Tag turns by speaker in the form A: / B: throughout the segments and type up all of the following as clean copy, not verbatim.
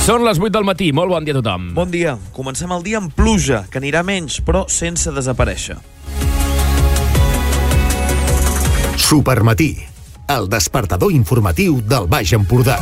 A: Són les 8 del matí. Molt bon dia a tothom.
B: Bon dia. Comencem el dia amb pluja, que anirà menys, però sense desaparèixer.
C: Supermatí, el despertador informatiu del Baix Empordà.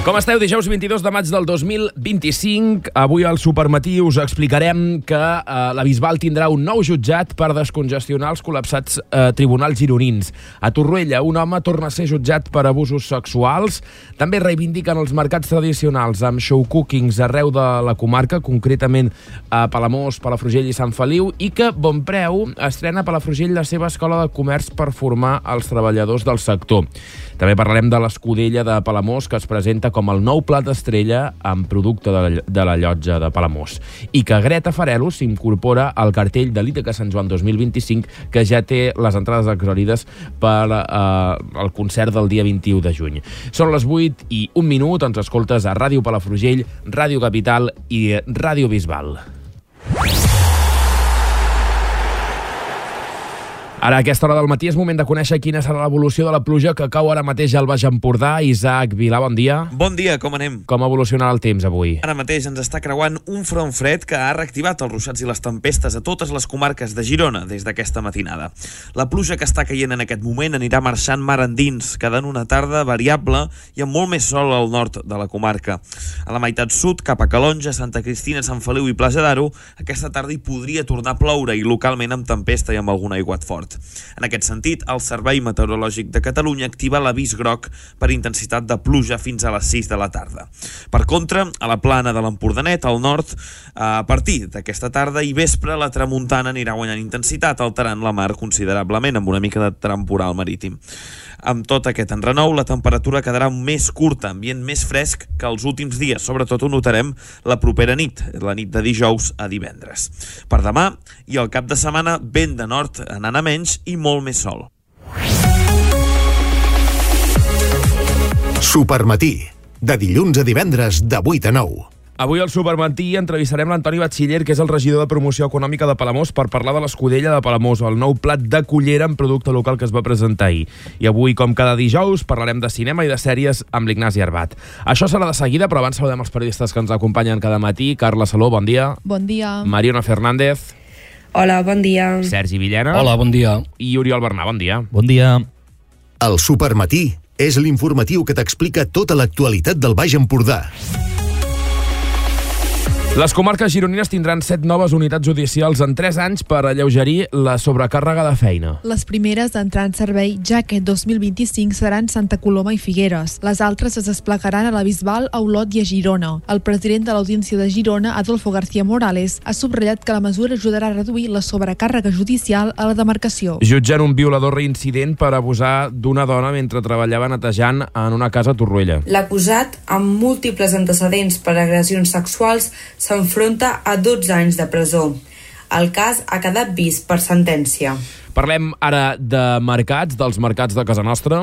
A: Com esteu? Dijous 22 de maig del 2025. Avui al Supermatí us explicarem que la Bisbal tindrà un nou jutjat per descongestionar els col·lapsats tribunals gironins. A Torroella, un home torna a ser jutjat per abusos sexuals. També reivindiquen els mercats tradicionals amb show cookings arreu de la comarca, concretament a Palamós, Palafrugell i Sant Feliu, i que Bonpreu estrena a Palafrugell la seva escola de comerç per formar els treballadors del sector. També parlarem de l'Escudella de Palamós, que es presenta com el nou plat estrella amb producte de la llotja de Palamós. I que Greta Farelo s'incorpora al cartell de l'Ítaca Sant Joan 2025, que ja té les entrades exhaurides per al concert del dia 21 de juny. Són les 8 i 1 minut, ens escoltes a Ràdio Palafrugell, Ràdio Capital i Ràdio Bisbal. Ara, a aquesta hora del matí, és moment de conèixer quina serà l'evolució de la pluja que cau ara mateix al Baix Empordà. Isaac Vilà, bon dia.
B: Bon dia, com anem?
A: Com evolucionarà el temps avui?
B: Ara mateix ens està creuant un front fred que ha reactivat els ruixats i les tempestes a totes les comarques de Girona des d'aquesta matinada. La pluja que està caient en aquest moment anirà marxant mar endins, quedant una tarda variable i amb molt més sol al nord de la comarca. A la meitat sud, cap a Calonja, Santa Cristina, Sant Feliu i Plaça d'Aro, aquesta tarda hi podria tornar a ploure i localment amb tempesta i amb algun aiguat fort. En aquest sentit, el Servei Meteorològic de Catalunya activa l'avís groc per intensitat de pluja fins a les 6 de la tarda. Per contra, a la plana de l'Empordanet, al nord, a partir d'aquesta tarda i vespre, la tramuntana anirà guanyant intensitat, alterant la mar considerablement, amb una mica de temporal marítim. Amb tot aquest enrenou, la temperatura quedarà més curta, ambient més fresc que els últims dies. Sobretot ho notarem la propera nit, la nit de dijous a divendres. Per demà i el cap de setmana, vent de nord anant a menys i molt més sol.
C: Supermatí, de dilluns a divendres de 8 a 9.
A: Avui al Supermatí entrevistarem l'Antoni Batxiller, que és el regidor de Promoció Econòmica de Palamós, per parlar de l'Escudella de Palamós, el nou plat de cullera amb producte local que es va presentar ahir. I avui, com cada dijous, parlarem de cinema i de sèries amb l'Ignasi Arbat. Això serà de seguida, però abans saludem els periodistes que ens acompanyen cada matí. Carla Saló, bon dia.
D: Bon dia.
A: Mariona Fernández.
E: Hola, bon dia.
A: Sergi Villena.
F: Hola, bon dia.
A: I Oriol Bernà, bon dia.
F: Bon dia.
C: El Supermatí és l'informatiu que t'explica tota l'actualitat del Baix Empordà.
A: Les comarques gironines tindran 7 noves unitats judicials en 3 anys per alleugerir la sobrecàrrega de feina.
D: Les primeres a entrar en servei ja aquest 2025 seran Santa Coloma i Figueres. Les altres es desplegaran a la Bisbal, a Olot i a Girona. El president de l'Audiència de Girona, Adolfo García Morales, ha subratllat que la mesura ajudarà a reduir la sobrecàrrega judicial a la demarcació.
A: Jutgen un violador reincident per abusar d'una dona mentre treballava netejant en una casa a Torroella.
E: L'acusat, amb múltiples antecedents per agressions sexuals, s'enfronta a 12 anys de presó. El cas ha quedat vist per sentència.
A: Parlem ara de mercats, dels mercats de casa nostra.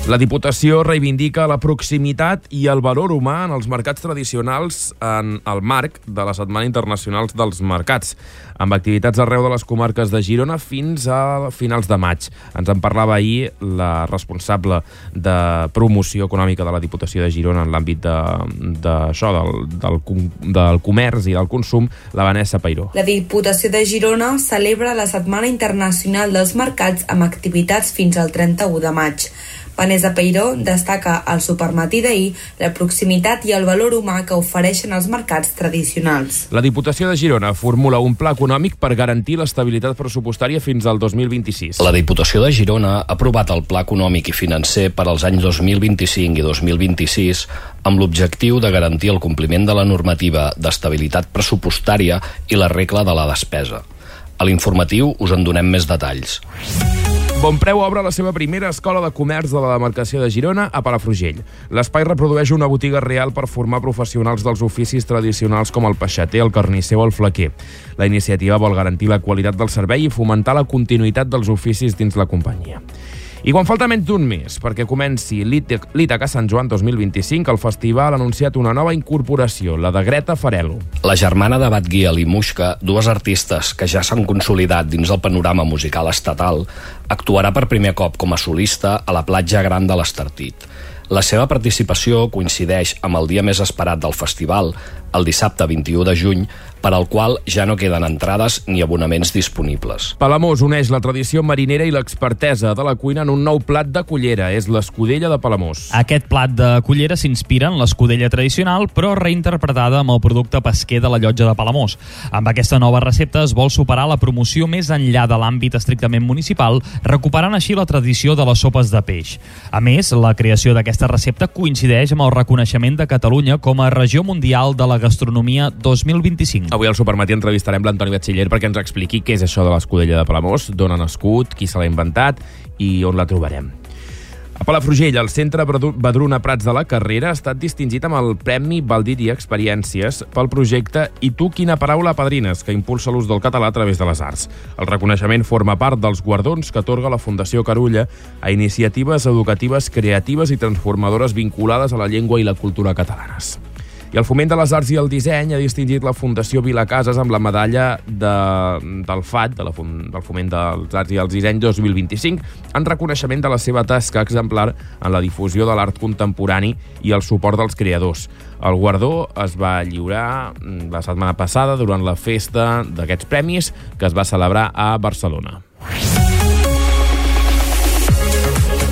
A: La Diputació reivindica la proximitat i el valor humà en els mercats tradicionals en el marc de la Setmana Internacional dels Mercats, amb activitats arreu de les comarques de Girona fins a finals de maig. Ens en parlava ahir la responsable de promoció econòmica de la Diputació de Girona en l'àmbit del comerç i del consum, la Vanessa Peiró.
E: La Diputació de Girona celebra la Setmana Internacional dels Mercats amb activitats fins al 31 de maig. Vanessa Peiró destaca al Supermatí d'ahir la proximitat i el valor humà que ofereixen els mercats tradicionals.
A: La Diputació de Girona formula un pla econòmic per garantir l'estabilitat pressupostària fins al 2026.
F: La Diputació de Girona ha aprovat el pla econòmic i financer per als anys 2025 i 2026 amb l'objectiu de garantir el compliment de la normativa d'estabilitat pressupostària i la regla de la despesa. A l'informatiu us en donem més detalls.
A: Bonpreu obre la seva primera escola de comerç de la demarcació de Girona a Palafrugell. L'espai reprodueix una botiga real per formar professionals dels oficis tradicionals com el peixater, el carnisser o el flequer. La iniciativa vol garantir la qualitat del servei i fomentar la continuïtat dels oficis dins la companyia. I quan falta menys d'un mes perquè comenci l'Ítaca Sant Joan 2025, el festival ha anunciat una nova incorporació, la de Greta Farelo.
F: La germana de Batguiel i Muixca, dues artistes que ja s'han consolidat dins el panorama musical estatal, actuarà per primer cop com a solista a la platja gran de l'Estartit. La seva participació coincideix amb el dia més esperat del festival, el dissabte 21 de juny, per al qual ja no queden entrades ni abonaments disponibles.
A: Palamós uneix la tradició marinera i l'expertesa de la cuina en un nou plat de cullera. És l'escudella de Palamós.
G: Aquest plat de cullera s'inspira en l'escudella tradicional, però reinterpretada amb el producte pesquer de la Llotja de Palamós. Amb aquesta nova recepta es vol superar la promoció més enllà de l'àmbit estrictament municipal, recuperant així la tradició de les sopes de peix. A més, la creació d'aquesta recepta coincideix amb el reconeixement de Catalunya com a regió mundial de la gastronomia 2025.
A: Avui al Supermatí entrevistarem l'Antoni Batxiller perquè ens expliqui què és això de l'escudella de Palamós, d'on ha nascut, qui se l'ha inventat i on la trobarem. A Palafrugell, el Centre Badruna Prats de la Carrera ha estat distingit amb el Premi Baldir i Experiències pel projecte I tu quina paraula padrines, que impulsa l'ús del català a través de les arts. El reconeixement forma part dels guardons que atorga la Fundació Carulla a iniciatives educatives creatives i transformadores vinculades a la llengua i la cultura catalanes. I el Foment de les Arts i el Disseny ha distingit la Fundació Vilacases amb la medalla del FAD, del Foment dels Arts i el Disseny 2025, en reconeixement de la seva tasca exemplar en la difusió de l'art contemporani i el suport dels creadors. El guardó es va lliurar la setmana passada durant la festa d'aquests premis que es va celebrar a Barcelona.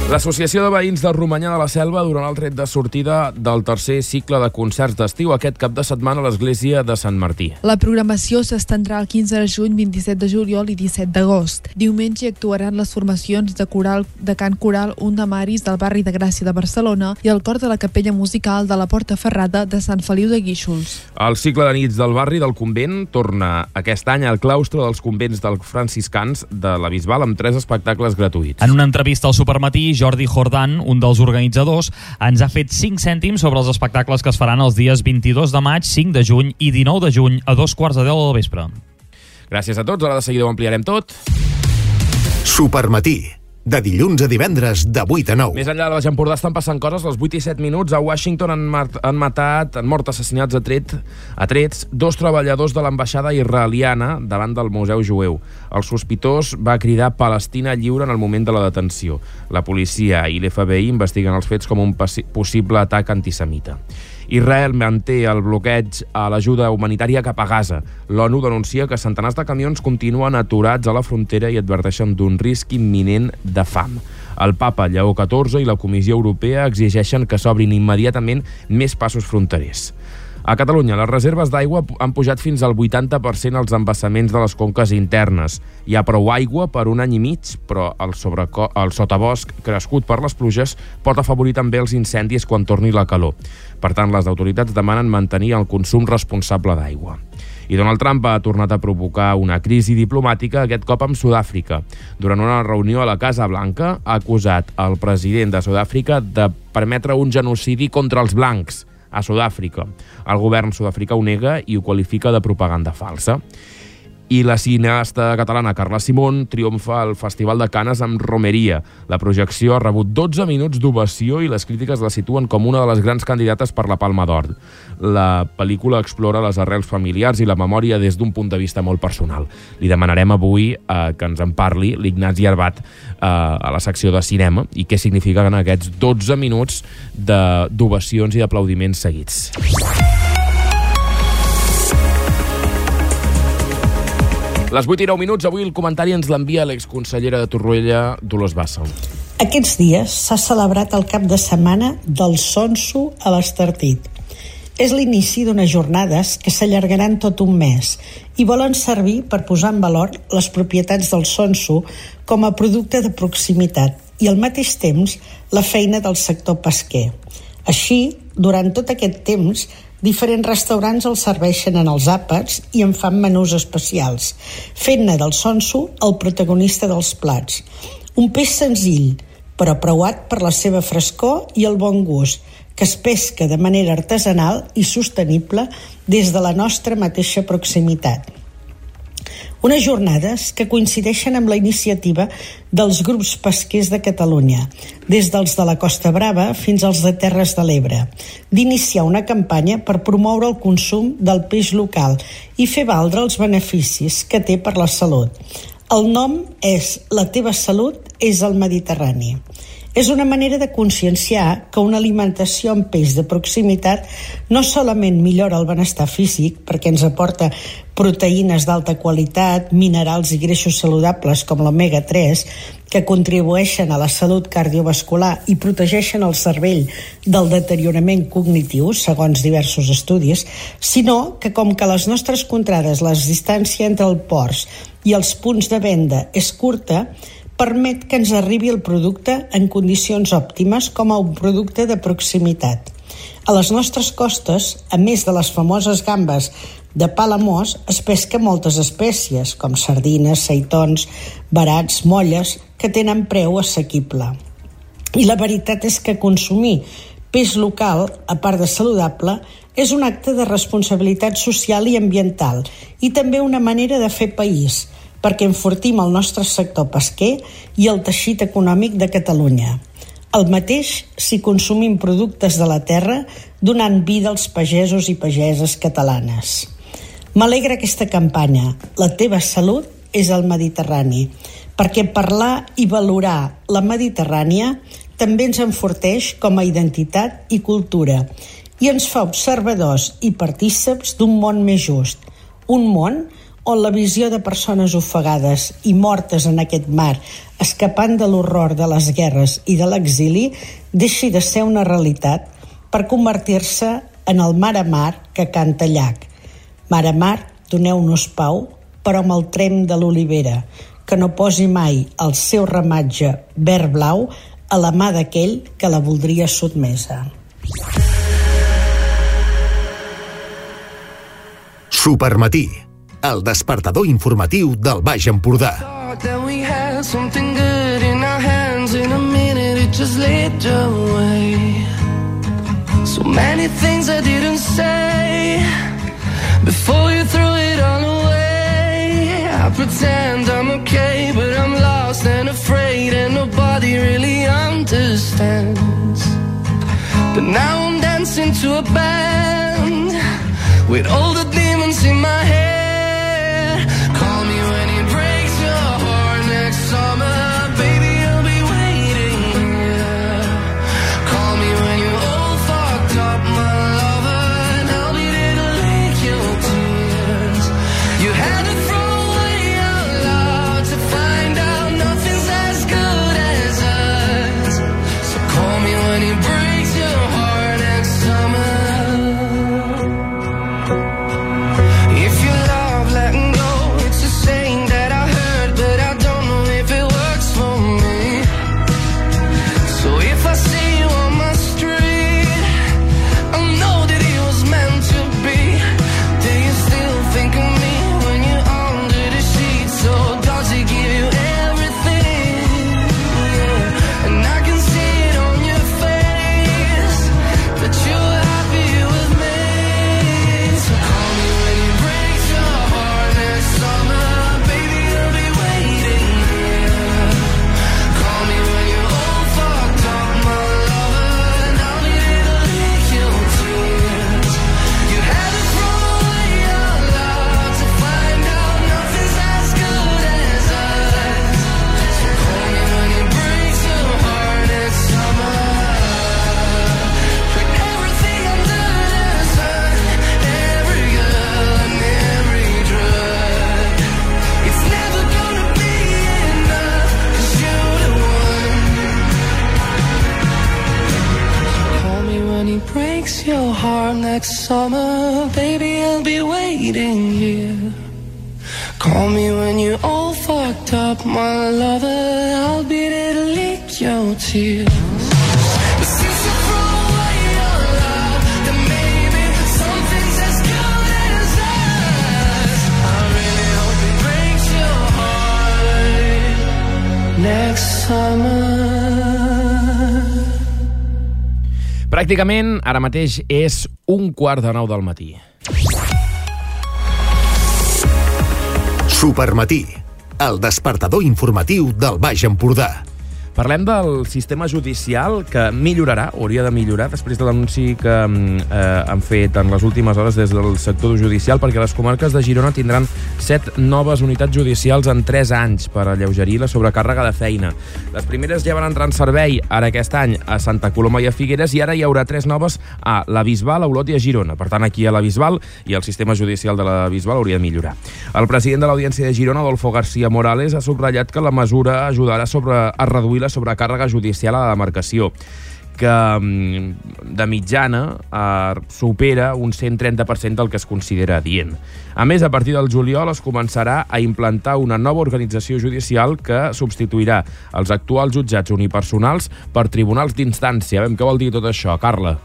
A: L'Associació de Veïns de Romanyà de la Selva donarà el tret de sortida del tercer cicle de concerts d'estiu aquest cap de setmana a l'església de Sant Martí.
D: La programació s'estendrà el 15 de juny, 27 de juliol i 17 d'agost. Diumenge actuaran les formacions de cant coral Un de Maris del barri de Gràcia de Barcelona i el cor de la capella musical de la Porta Ferrada de Sant Feliu de Guíxols.
A: El cicle de nits del barri del convent torna aquest any al claustre dels convents dels franciscans de la Bisbal amb 3 espectacles gratuïts.
G: En una entrevista al Supermatí, Jordi Jordán, un dels organitzadors, ens ha fet 5 cèntims sobre els espectacles que es faran els dies 22 de maig, 5 de juny i 19 de juny a 2:15 del vespre.
A: Gràcies a tots, ara de seguida ho ampliarem tot.
C: Supermatí, de dilluns a divendres, de 8 a 9.
A: Més enllà de Baix Empordà estan passant coses. A les 8 i 7 minuts a Washington han mort assassinats a trets 2 treballadors de l'ambaixada israeliana davant del Museu Jueu. El sospitós va cridar Palestina lliure en el moment de la detenció. La policia i l'FBI investiguen els fets com un possible atac antisemita. Israel manté el bloqueig a l'ajuda humanitària cap a Gaza. L'ONU denuncia que centenars de camions continuen aturats a la frontera i adverteixen d'un risc imminent de fam. El papa Lleó XIV i la Comissió Europea exigeixen que s'obrin immediatament més passos fronterers. A Catalunya, les reserves d'aigua han pujat fins al 80% als embassaments de les conques internes. Hi ha prou aigua per un any i mig, però el sotabosc crescut per les pluges pot afavorir també els incendis quan torni la calor. Per tant, les autoritats demanen mantenir el consum responsable d'aigua. I Donald Trump ha tornat a provocar una crisi diplomàtica, aquest cop amb Sud-àfrica. Durant una reunió a la Casa Blanca, ha acusat el president de Sud-àfrica de permetre un genocidi contra els blancs a Sud-àfrica. El govern sud-africà ho nega i ho qualifica de propaganda falsa. I la cineasta catalana Carla Simón triomfa al Festival de Canes amb Romeria. La projecció ha rebut 12 minuts d'ovació i les crítiques la situen com una de les grans candidates per la Palma d'Or. La pel·lícula explora les arrels familiars i la memòria des d'un punt de vista molt personal. Li demanarem avui que ens en parli l'Ignasi Arbat a la secció de cinema i què signifiquen aquests 12 minuts d'ovacions i d'aplaudiments seguits. Les 8 i 9 minuts, avui el comentari ens l'envia l'exconsellera de Torroella, Dolors Bassa.
H: Aquests dies s'ha celebrat el cap de setmana del Sonso a l'Estartit. És l'inici d'unes jornades que s'allargaran tot un mes i volen servir per posar en valor les propietats del Sonso com a producte de proximitat i al mateix temps la feina del sector pesquer. Així, durant tot aquest temps, diferents restaurants el serveixen en els àpats i en fan menús especials, fent-ne del Sonso el protagonista dels plats. Un peix senzill, però preuat per la seva frescor i el bon gust, que es pesca de manera artesanal i sostenible des de la nostra mateixa proximitat. Unes jornades que coincideixen amb la iniciativa dels grups pesquers de Catalunya, des dels de la Costa Brava fins als de Terres de l'Ebre, d'iniciar una campanya per promoure el consum del peix local i fer valdre els beneficis que té per la salut. El nom és La teva salut és el Mediterrani. És una manera de conscienciar que una alimentació amb peix de proximitat no solament millora el benestar físic perquè ens aporta proteïnes d'alta qualitat, minerals i greixos saludables com l'omega-3 que contribueixen a la salut cardiovascular i protegeixen el cervell del deteriorament cognitiu, segons diversos estudis, sinó que com que a les nostres contrades la distància entre el port i els punts de venda és curta, permet que ens arribi el producte en condicions òptimes com a un producte de proximitat. A les nostres costes, a més de les famoses gambes de Palamós, es pesca moltes espècies, com sardines, seitons, verats, molles, que tenen preu assequible. I la veritat és que consumir peix local, a part de saludable, és un acte de responsabilitat social i ambiental i també una manera de fer país, perquè enfortim el nostre sector pesquer i el teixit econòmic de Catalunya. El mateix si consumim productes de la terra, donant vida als pagesos i pageses catalanes. M'alegra aquesta campanya. La teva salut és el Mediterrani, perquè parlar i valorar la Mediterrània també ens enforteix com a identitat i cultura i ens fa observadors i partíceps d'un món més just, un món on la visió de persones ofegades i mortes en aquest mar, escapant de l'horror de les guerres i de l'exili, deixi de ser una realitat per convertir-se en el mar a mar que canta llac. Mar a mar, doneu-nos pau, però amb el trem de l'olivera, que no posi mai el seu ramatge verd-blau a la mà d'aquell que la voldria sotmesa.
C: Supermatí, el despertador informatiu del Baix Empordà.
I: So many things I didn't say before you threw it all away. I pretend I'm okay, but I'm lost and afraid, and nobody really understands. But now I'm dancing to a band with all the demons in my head. Call me when it breaks your heart next summer, baby, I'll be waiting here. Call me when you're all fucked up, my lover, and I'll be there to lick your tears. You had to throw away out loud to find out nothing's as good as us. So call me when it breaks your heart next summer. If you love letting go, it's a saying that I heard, but I don't know if it works for me. So if I see you on my street, I'll know that it was meant to be. Do you still think of me when you're under the sheets? So does it give you everything? Yeah. And I can see it on your face that you're happy with me. So call me when it breaks your heart next summer, baby, I'll be waiting here. Call me when you're all fucked up, my lover, and I'll be there to lick your tears. You had to throw away out loud to find out nothing's as good as us. So call me when it breaks your heart next summer. Put everything under the sun, every girl and every drug. It's never gonna be enough, 'cause you're the one. Call me when he breaks your heart next summer, baby, I'll be waiting here. Call me when you're all fucked up, my lover, I'll be there to lick your tears. But since you threw away your love, then maybe something's as good as us. I really hope it breaks your heart next summer.
A: Pràcticament ara mateix és 1:15 del matí.
C: Supermatí, el despertador informatiu del Baix Empordà.
A: Parlem del sistema judicial, que millorarà, hauria de millorar, després de l'anunci que han fet en les últimes hores des del sector judicial, perquè les comarques de Girona tindran 7 noves unitats judicials en 3 anys per alleugerir la sobrecàrrega de feina. Les primeres ja van entrar en servei ara aquest any a Santa Coloma i a Figueres, i ara hi haurà 3 noves a la Bisbal, a Olot i a Girona. Per tant, aquí a la Bisbal, i el sistema judicial de la Bisbal hauria de millorar. El president de l'Audiència de Girona, Adolfo García Morales, ha subratllat que la mesura ajudarà a reduir la sobrecàrrega judicial a la demarcació, que de mitjana supera un 130% del que es considera adient. A més, a partir del juliol es començarà a implantar una nova organització judicial que substituirà els actuals jutjats unipersonals per tribunals d'instància. Què vol dir tot això, Carla?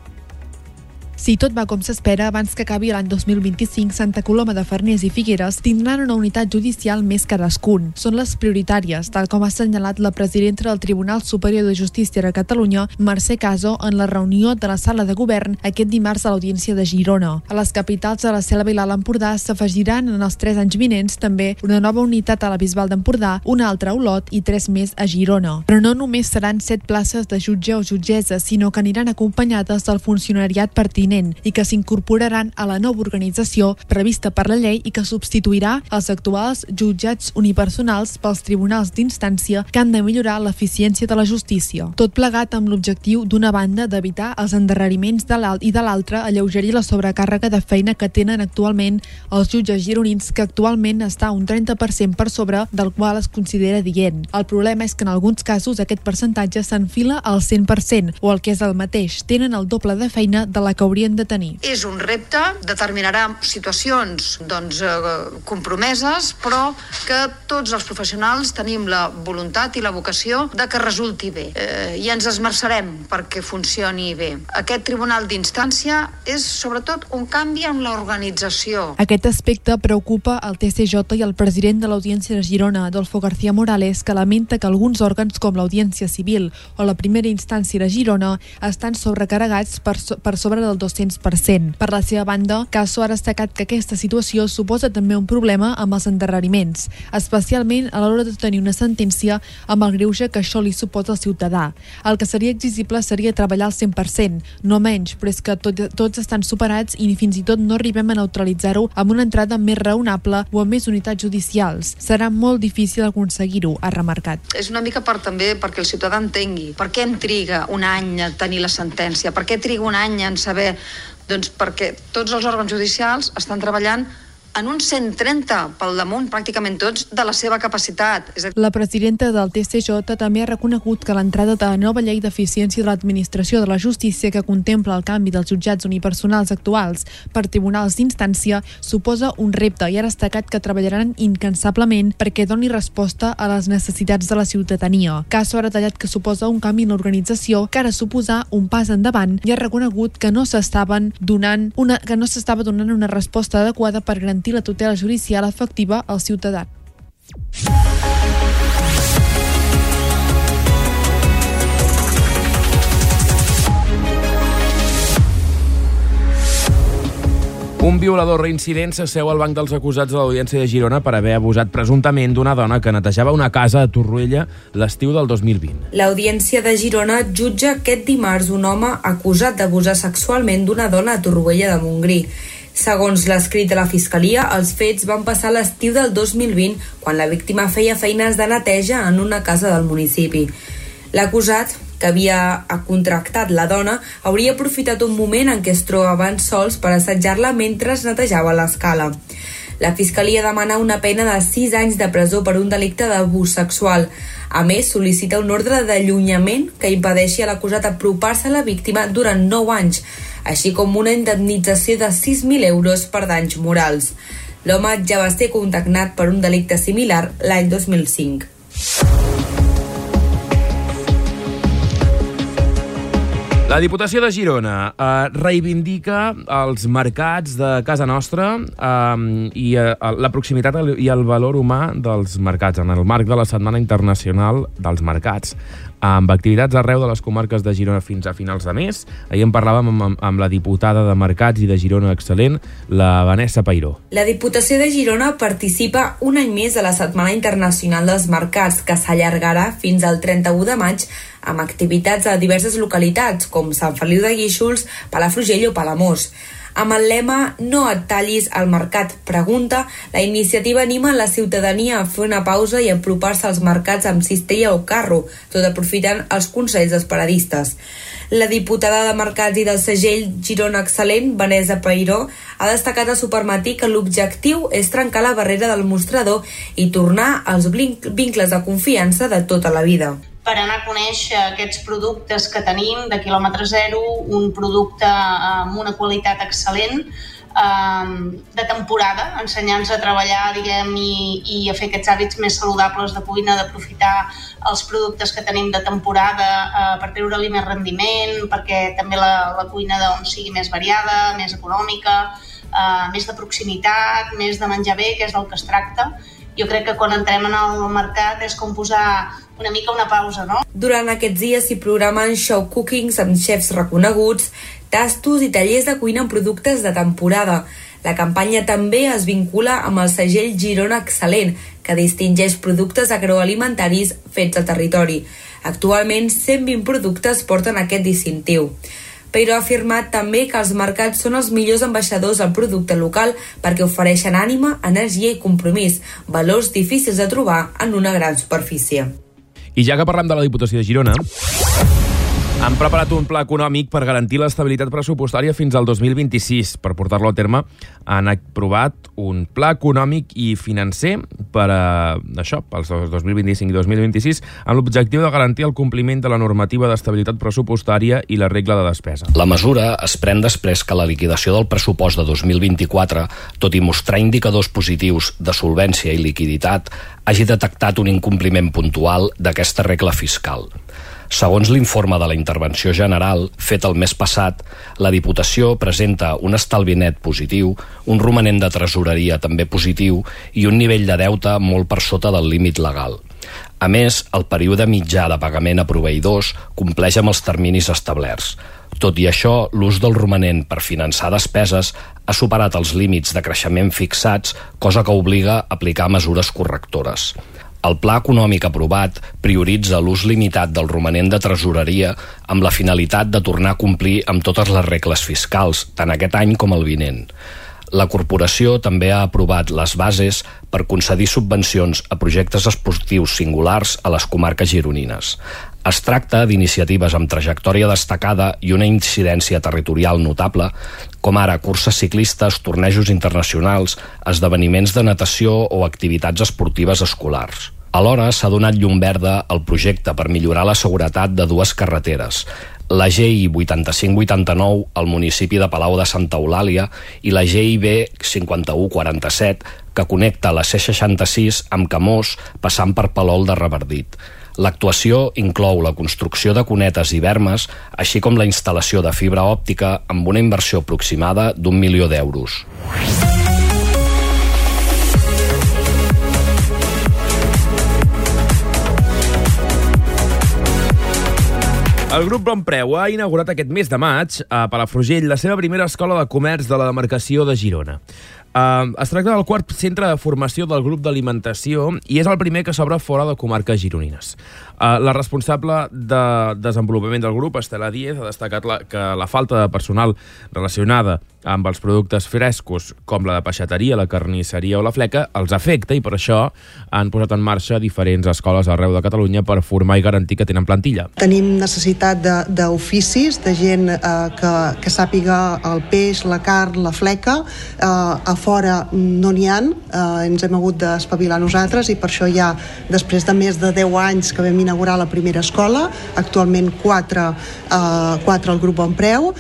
D: Si tot va com s'espera, abans que acabi l'any 2025, Santa Coloma de Farners i Figueres tindran una unitat judicial més cadascun. Són les prioritàries, tal com ha assenyalat la presidenta del Tribunal Superior de Justícia de Catalunya, Mercè Caso, en la reunió de la sala de govern aquest dimarts a l'Audiència de Girona. A les capitals de la Selva i l'Alt Empordà s'afegiran en els 3 anys vinents també una nova unitat a la Bisbal d'Empordà, una altra a Olot i 3 més a Girona. Però no només seran 7 places de jutge o jutgessa, sinó que aniran acompanyades del funcionariat pertinent i que s'incorporaran a la nova organització prevista per la llei i que substituirà els actuals jutjats unipersonals pels tribunals d'instància, que han de millorar l'eficiència de la justícia. Tot plegat amb l'objectiu, d'una banda, d'evitar els endarreriments de l'alt i de l'altra, alleugerir la sobrecàrrega de feina que tenen actualment els jutges gironins, que actualment està un 30% per sobre del qual es considera adient. El problema és que en alguns casos aquest percentatge s'enfila al 100%, o el que és el mateix, tenen el doble de feina de la que haurien de tenir.
J: És un repte, determinarà situacions compromeses, però que tots els professionals tenim la voluntat i la vocació de que resulti bé. I ens esmerçarem perquè funcioni bé. Aquest tribunal d'instància és sobretot un canvi en l'organització.
D: Aquest aspecte preocupa el TCJ i el president de l'Audiència de Girona, Adolfo García Morales, que lamenta que alguns òrgans com l'Audiència Civil o la primera instància de Girona estan sobrecarregats per sobre del 200%. Per la seva banda, Caso ha destacat que aquesta situació suposa també un problema amb els endarreriments, especialment a l'hora de tenir una sentència amb el greuge que això li suposa al ciutadà. El que seria exigible seria treballar al 100%, no menys, però és que tots estan superats i fins i tot no arribem a neutralitzar-ho amb una entrada més raonable o amb més unitats judicials. Serà molt difícil aconseguir-ho, ha remarcat.
J: És una mica també perquè el ciutadà entengui per què em triga un any a tenir la sentència, per què triga un any en saber. Doncs perquè tots els òrgans judicials estan treballant en un 130 pel damunt, pràcticament tots, de la seva capacitat.
D: La presidenta del TCJ també ha reconegut que l'entrada de la nova llei d'eficiència de l'administració de la justícia, que contempla el canvi dels jutjats unipersonals actuals per tribunals d'instància, suposa un repte, i ha destacat que treballaran incansablement perquè doni resposta a les necessitats de la ciutadania. Caso ha detallat que suposa un canvi en l'organització que ha de suposar un pas endavant, i ha reconegut que no s'estava donant una resposta adequada per garantir la tutela judicial efectiva al ciutadà.
A: Un violador reincident s'asseu al banc dels acusats de l'Audiència de Girona per haver abusat presumptament d'una dona que netejava una casa a Torroella l'estiu del 2020.
E: L'Audiència de Girona jutja aquest dimarts un home acusat d'abusar sexualment d'una dona a Torroella de Montgrí. Segons l'escrit de la Fiscalia, els fets van passar l'estiu del 2020, quan la víctima feia feines de neteja en una casa del municipi. L'acusat, que havia contractat la dona, hauria aprofitat un moment en què es trobaven sols per assetjar-la mentre es netejava l'escala. La Fiscalia demana una pena de 6 anys de presó per un delicte d'abús sexual. A més, sol·licita un ordre d'allunyament que impedeixi a l'acusat apropar-se a la víctima durant 9 anys, així com una indemnització de 6.000 euros per danys morals. L'home ja va ser condemnat per un delicte similar l'any 2005.
A: La Diputació de Girona reivindica els mercats de casa nostra i la proximitat i el valor humà dels mercats en el marc de la Setmana Internacional dels Mercats. amb activitats arreu de les comarques de Girona fins a finals de mes. Ahir en parlàvem amb la diputada de Mercats i de Girona Excel·lent, la Vanessa Peiró.
E: La Diputació de Girona participa un any més a la Setmana Internacional dels Mercats, que s'allargarà fins al 31 de maig amb activitats a diverses localitats, com Sant Feliu de Guíxols, Palafrugell o Palamós. Amb el lema "No et tallis al mercat, pregunta", la iniciativa anima la ciutadania a fer una pausa i a apropar-se als mercats amb cistella o carro, tot aprofitant els consells dels paradistes. La diputada de Mercats i del segell Girona Excel·lent, Vanessa Peiró, ha destacat a Supermatí que l'objectiu és trencar la barrera del mostrador i tornar als vincles de confiança de tota la vida.
K: Per anar a conèixer aquests productes que tenim de quilòmetre zero, un producte amb una qualitat excel·lent, de temporada, ensenyar-nos a treballar, diguem, i a fer aquests hàbits més saludables de cuina, d'aprofitar els productes que tenim de temporada per treure-li més rendiment, perquè també la cuina sigui més variada, més econòmica, més de proximitat, més de menjar bé, que és del que es tracta. Jo crec que quan entrem en el mercat és com posar una mica una pausa, no?
E: Durant aquests dies s'hi programen show cookings amb xefs reconeguts, tastos i tallers de cuina amb productes de temporada. La campanya també es vincula amb el segell Girona Excel·lent, que distingeix productes agroalimentaris fets al territori. Actualment, 120 productes porten aquest distintiu. Però ha afirmat també que els mercats són els millors ambaixadors del producte local perquè ofereixen ànima, energia i compromís, valors difícils de trobar en una gran superfície.
A: I ja que parlem de la Diputació de Girona, han preparat un pla econòmic per garantir l'estabilitat pressupostària fins al 2026. Per portar-lo a terme, han aprovat un pla econòmic i financer per això, pels 2025 i 2026, amb l'objectiu de garantir el compliment de la normativa d'estabilitat pressupostària i la regla de despesa.
F: La mesura es pren després que la liquidació del pressupost de 2024, tot i mostrar indicadors positius de solvència i liquiditat, hagi detectat un incompliment puntual d'aquesta regla fiscal. Segons l'informe de la Intervenció General, fet el mes passat, la Diputació presenta un estalvi net positiu, un romanent de tresoreria també positiu i un nivell de deute molt per sota del límit legal. A més, el període mitjà de pagament a proveïdors compleix amb els terminis establerts. Tot i això, l'ús del romanent per finançar despeses ha superat els límits de creixement fixats, cosa que obliga a aplicar mesures correctores. El pla econòmic aprovat prioritza l'ús limitat del romanent de tresoreria amb la finalitat de tornar a complir amb totes les regles fiscals, tant aquest any com el vinent. La corporació també ha aprovat les bases per concedir subvencions a projectes esportius singulars a les comarques gironines. Es tracta d'iniciatives amb trajectòria destacada i una incidència territorial notable, com ara curses ciclistes, tornejos internacionals, esdeveniments de natació o activitats esportives escolars. Alhora s'ha donat llum verda al projecte per millorar la seguretat de dues carreteres, la GI 8589 al municipi de Palau de Santa Eulàlia i la GIB 5147 que connecta la C66 amb Camós passant per Palol de Revardit. L'actuació inclou la construcció de cunetes i bermes, així com la instal·lació de fibra òptica amb una inversió aproximada d'1 milió d'euros.
A: El grup Bonpreu ha inaugurat aquest mes de maig a Palafrugell la seva primera escola de comerç de la demarcació de Girona. Es tracta del quart centre de formació del grup d'alimentació i és el primer que s'obre fora de comarques gironines. La responsable de desenvolupament del grup, Estela Díez, ha destacat que la falta de personal relacionada amb els productes frescos, com la de peixateria, la carnisseria o la fleca, els afecta i per això han posat en marxa diferents escoles arreu de Catalunya per formar i garantir que tenen plantilla.
L: Tenim necessitat d'oficis, de gent que sàpiga el peix, la carn, la fleca. A fora no n'hi ha, ens hem hagut d'espavilar nosaltres i per això ja, després de més de 10 anys que vam inaugurar la primera escola, actualment 4 al grup Bonpreu,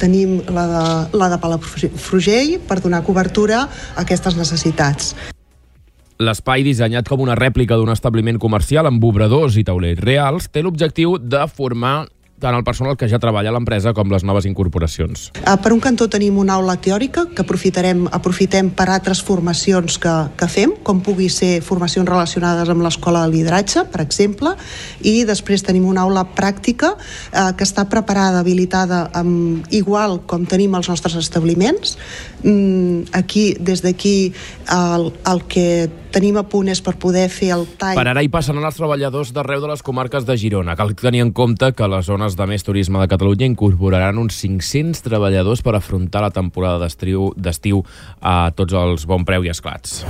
L: tenim la de Palafrugell per donar cobertura a aquestes necessitats.
A: L'espai, dissenyat com una rèplica d'un establiment comercial amb obradors i taulers reals, té l'objectiu de formar tant el personal que ja treballa a l'empresa com les noves incorporacions.
L: Per un cantó tenim una aula teòrica que aprofitem per altres formacions que fem, com pugui ser formacions relacionades amb l'escola de lideratge, per exemple, i després tenim una aula pràctica que està preparada, habilitada, igual com tenim els nostres establiments. Des d'aquí el que tenim a punt és per poder fer el tall.
A: Per ara hi passaran els treballadors d'arreu de les comarques de Girona. Cal tenir en compte que les zones de més turisme de Catalunya incorporaran uns 500 treballadors per afrontar la temporada d'estiu a tots els bon preu i esclats.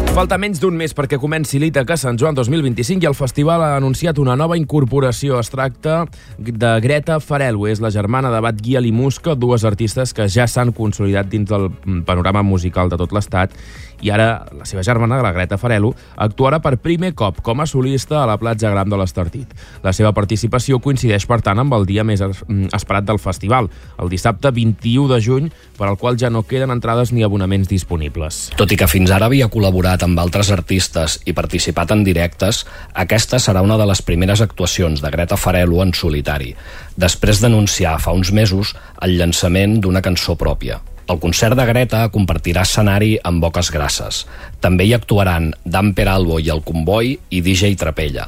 A: Falta menys d'un mes perquè comenci l'Ítaca Sant Joan 2025 i el festival ha anunciat una nova incorporació. Es tracta de Greta Farelo, és la germana de Batguiel i Musca, dues artistes que ja s'han consolidat dins del panorama musical de tot l'Estat, i ara la seva germana, la Greta Farelo, actuarà per primer cop com a solista a la Platja Gran de l'Estartit. La seva participació coincideix, per tant, amb el dia més esperat del festival, el dissabte 21 de juny, per al qual ja no queden entrades ni abonaments disponibles.
F: Tot i que fins ara havia col·laborat amb altres artistes i participat en directes, aquesta serà una de les primeres actuacions de Greta Farelo en solitari, després d'anunciar fa uns mesos el llançament d'una cançó pròpia. El concert de Greta compartirà escenari amb Boques Grasses. També hi actuaran Dan Peralbo i el Comboi i DJ Trapella.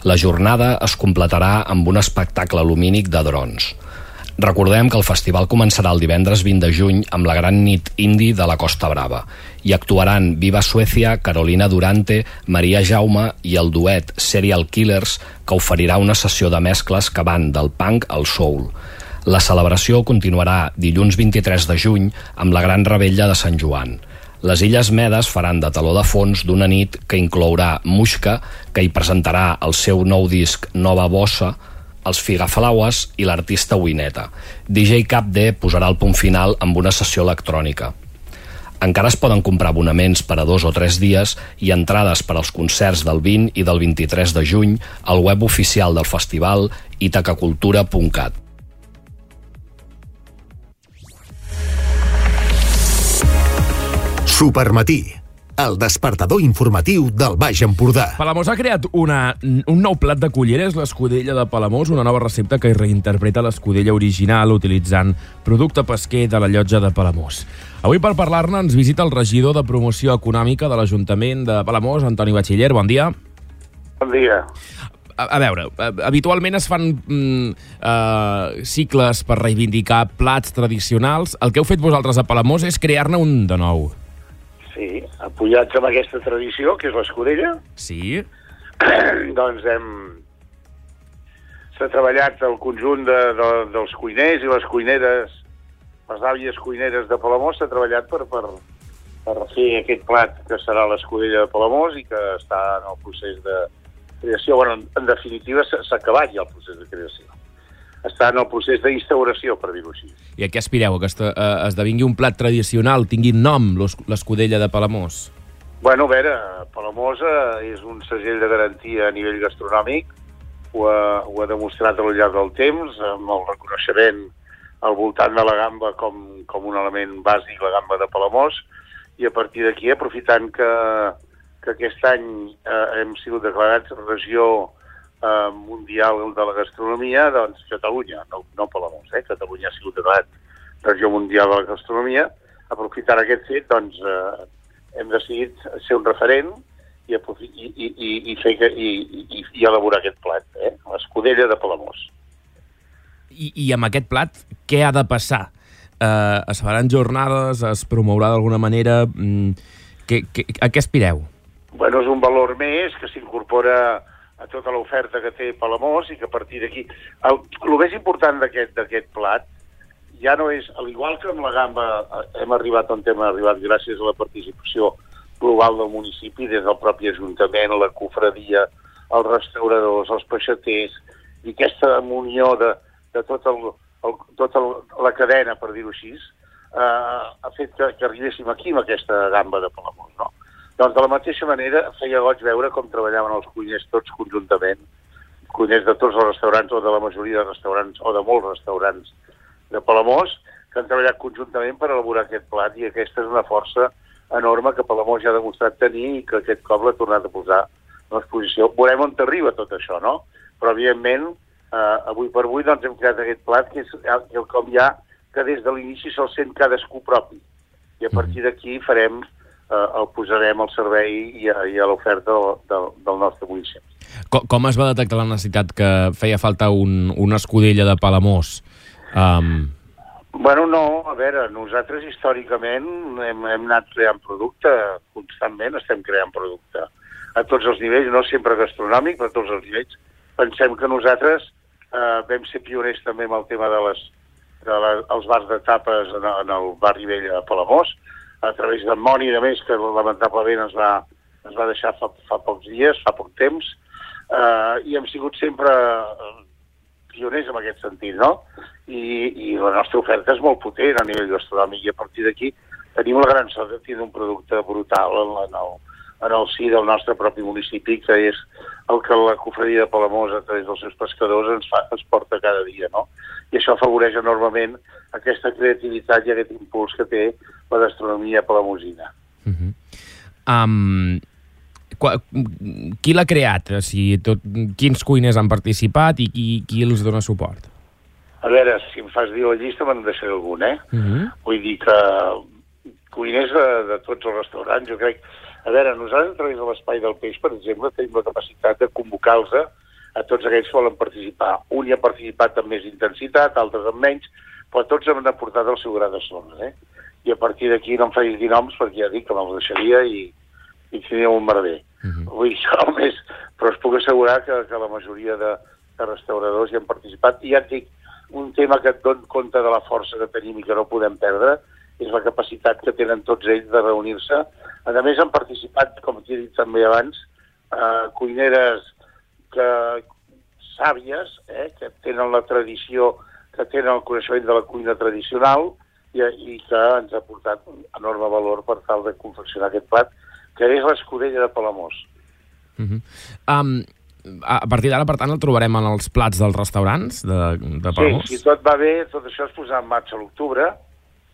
F: La jornada es completarà amb un espectacle lumínic de drons. Recordem que el festival començarà el divendres 20 de juny amb la gran nit indie de la Costa Brava. Hi actuaran Viva Suècia, Carolina Durante, Maria Jaume i el duet Serial Killers, que oferirà una sessió de mescles que van del punk al soul. La celebració continuarà dilluns 23 de juny amb la Gran Revetlla de Sant Joan. Les Illes Medes faran de teló de fons d'una nit que inclourà Muixca, que hi presentarà el seu nou disc Nova Bossa, els Figaflaues i l'artista Wineta. DJ Cap D posarà el punt final amb una sessió electrònica. Encara es poden comprar abonaments per a 2 o 3 dies i entrades per als concerts del 20 i del 23 de juny al web oficial del festival itacacultura.cat.
C: Supermatí, el despertador informatiu del Baix Empordà.
A: Palamós ha creat un nou plat de culleres, l'escudella de Palamós, una nova recepta que reinterpreta l'escudella original utilitzant producte pesquer de la llotja de Palamós. Avui, per parlar-ne, ens visita el regidor de Promoció Econòmica de l'Ajuntament de Palamós, Antoni Batxiller. Bon dia.
M: Bon dia.
A: A veure, habitualment es fan cicles per reivindicar plats tradicionals. El que heu fet vosaltres a Palamós és crear-ne un de nou.
M: Sí, apoyats amb aquesta tradició, que és l'escudella.
A: Sí.
M: Doncs s'ha treballat el conjunt dels cuiners i les cuineres, les àvies cuineres de Palamós, s'ha treballat per fer aquest plat que serà l'escudella de Palamós i que està en el procés de creació. Bueno, en definitiva, s'ha acabat ja el procés de creació. Està en el procés d'instauració, per dir-ho així.
A: I a què aspireu? Que esdevingui un plat tradicional, tingui nom, l'escudella de Palamós?
M: Bueno, a veure, Palamós és un segell de garantia a nivell gastronòmic, ho ha demostrat al llarg del temps, amb el reconeixement al voltant de la gamba com un element bàsic, la gamba de Palamós, i a partir d'aquí, aprofitant que aquest any hem sigut declarats regió mundial de la gastronomia, doncs Catalunya, no Palamós, Catalunya ha sigut declarat regió mundial de la gastronomia. Aprofitant aquest fet, doncs hem decidit ser un referent i elaborar aquest plat, l'escudella de Palamós.
A: I amb aquest plat, què ha de passar? Es faran jornades, es promourà d'alguna manera? A què aspireu?
M: Bueno, és un valor més que s'incorpora a tota l'oferta que té Palamós i que a partir d'aquí... El més important d'aquest plat ja no és, al igual que amb la gamba hem arribat on hem arribat gràcies a la participació global del municipi, des del propi Ajuntament, la cofradia, els restauradors, els peixaters, i aquesta unió de tota la cadena, per dir-ho així, ha fet que arribéssim aquí amb aquesta gamba de Palamós, no? Doncs de la mateixa manera feia goig veure com treballaven els cuiners tots conjuntament, cuiners de tots els restaurants o de la majoria de restaurants o de molts restaurants de Palamós, que han treballat conjuntament per elaborar aquest plat, i aquesta és una força enorme que Palamós ja ha demostrat tenir i que aquest cop l'ha tornat a posar en l'exposició. Veurem on arriba tot això, no? Però, evidentment, avui per avui doncs, hem creat aquest plat que és quelcom ja que des de l'inici se'l sent cadascú propi. I a partir d'aquí el posarem al servei i a l'oferta del nostre municipi.
A: Com es va detectar la necessitat que feia falta una escudella de Palamós?
M: Bueno, no, a veure, nosaltres històricament hem anat creant producte, constantment estem creant producte. A tots els nivells, no sempre gastronòmic, però a tots els nivells. Pensem que nosaltres vam ser pioners també amb el tema dels bars de tapes en el barri vell a Palamós, a través d'en Moni, a més, que lamentablement ens va deixar fa pocs dies, fa poc temps, i hem sigut sempre pioners en aquest sentit, no? I la nostra oferta és molt potent a nivell gastronòmic i a partir d'aquí tenim la gran sort de tenir un producte brutal en el si del nostre propi municipi, que és el que la cofredia de Palamós a través dels seus pescadors ens porta cada dia, no? I això afavoreix enormement aquesta creativitat i aquest impuls que té la gastronomia palamosina.
A: Qui l'ha creat? Quins cuiners han participat i qui els dona suport?
M: A veure, si em fas dir la llista me'n deixaré algun, Vull dir que cuiners de tots els restaurants, jo crec. A veure, nosaltres a través de l'Espai del Peix, per exemple, tenim la capacitat de convocar-los a tots aquells que volen participar. Un hi ha participat amb més intensitat, altres amb menys, però tots han aportat el seu gra de sorra, I a partir d'aquí no em facis dir noms perquè ja dic que me'ls deixaria i tenia un merder. Vull dir, però us puc assegurar que la majoria de restauradors hi han participat. I ja et dic, un tema que et dona compte de la força que tenim i que no podem perdre és la capacitat que tenen tots ells de reunir-se. A més, han participat, com t'he dit també abans, cuineres sàvies, que tenen la tradició, que tenen el coneixement de la cuina tradicional i que ens ha portat enorme valor per tal de confeccionar aquest plat, que és l'escudella de Palamós.
A: A partir d'ara, per tant, el trobarem en els plats dels restaurants de Palamós?
M: Sí, si tot va bé, tot això es posarà en marxa a l'octubre,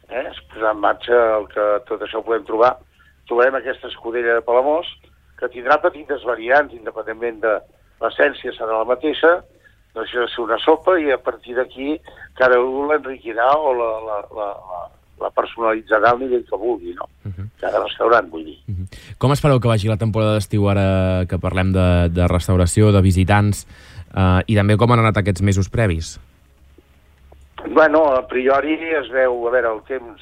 M: es posarà en marxa el que tot això ho podem trobar. Trobarem aquesta escudella de Palamós, que tindrà petites variants, independentment de l'essència serà la mateixa, deixa de ser una sopa i a partir d'aquí cada un l'enriquirà o la personalitzarà al nivell que vulgui, no? Cada restaurant, vull dir.
A: Com espereu que vagi la temporada d'estiu ara que parlem de restauració, de visitants, i també com han anat aquests mesos previs?
M: Bueno, a priori es veu, a veure, el temps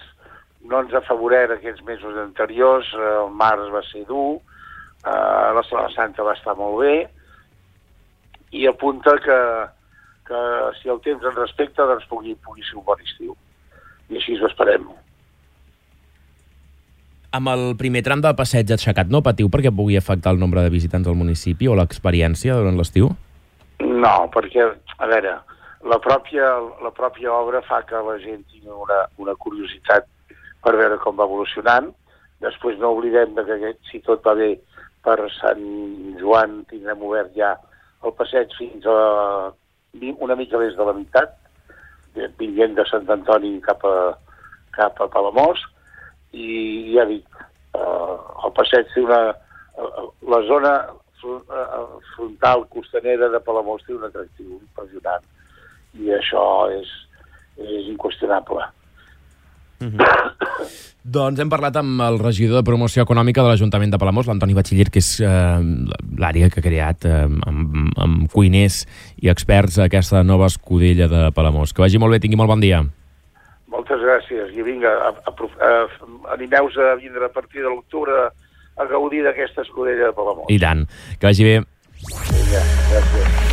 M: no ens afavoreix aquests mesos anteriors, el març va ser dur, la Setmana Santa va estar molt bé, i apunta que si el temps ens respecta, doncs pugui ser un bon estiu. I així ho esperem.
A: Amb el primer tram de passeig aixecat no patiu perquè pugui afectar el nombre de visitants al municipi o l'experiència durant l'estiu?
M: No, perquè, a veure, la pròpia obra fa que la gent tingui una curiositat per veure com va evolucionant. Després no oblidem que si tot va bé per Sant Joan tindrem obert ja el passeig fins a una mica més de la meitat, vinguent de Sant Antoni cap a Palamós, i ja dic, el passeig té la zona frontal costanera de Palamós té un atractiu impressionant, i això és inqüestionable.
A: Doncs hem parlat amb el regidor de Promoció Econòmica de l'Ajuntament de Palamós, l'Antoni Batxiller, que és l'àrea que ha creat amb cuiners i experts aquesta nova escudella de Palamós. Que vagi molt bé, tingui molt bon dia.
M: Moltes gràcies. I vinga, animeu-vos a vindre a partir de l'octubre a gaudir d'aquesta escudella de Palamós.
A: I tant. Que vagi bé.
M: Vinga, gràcies.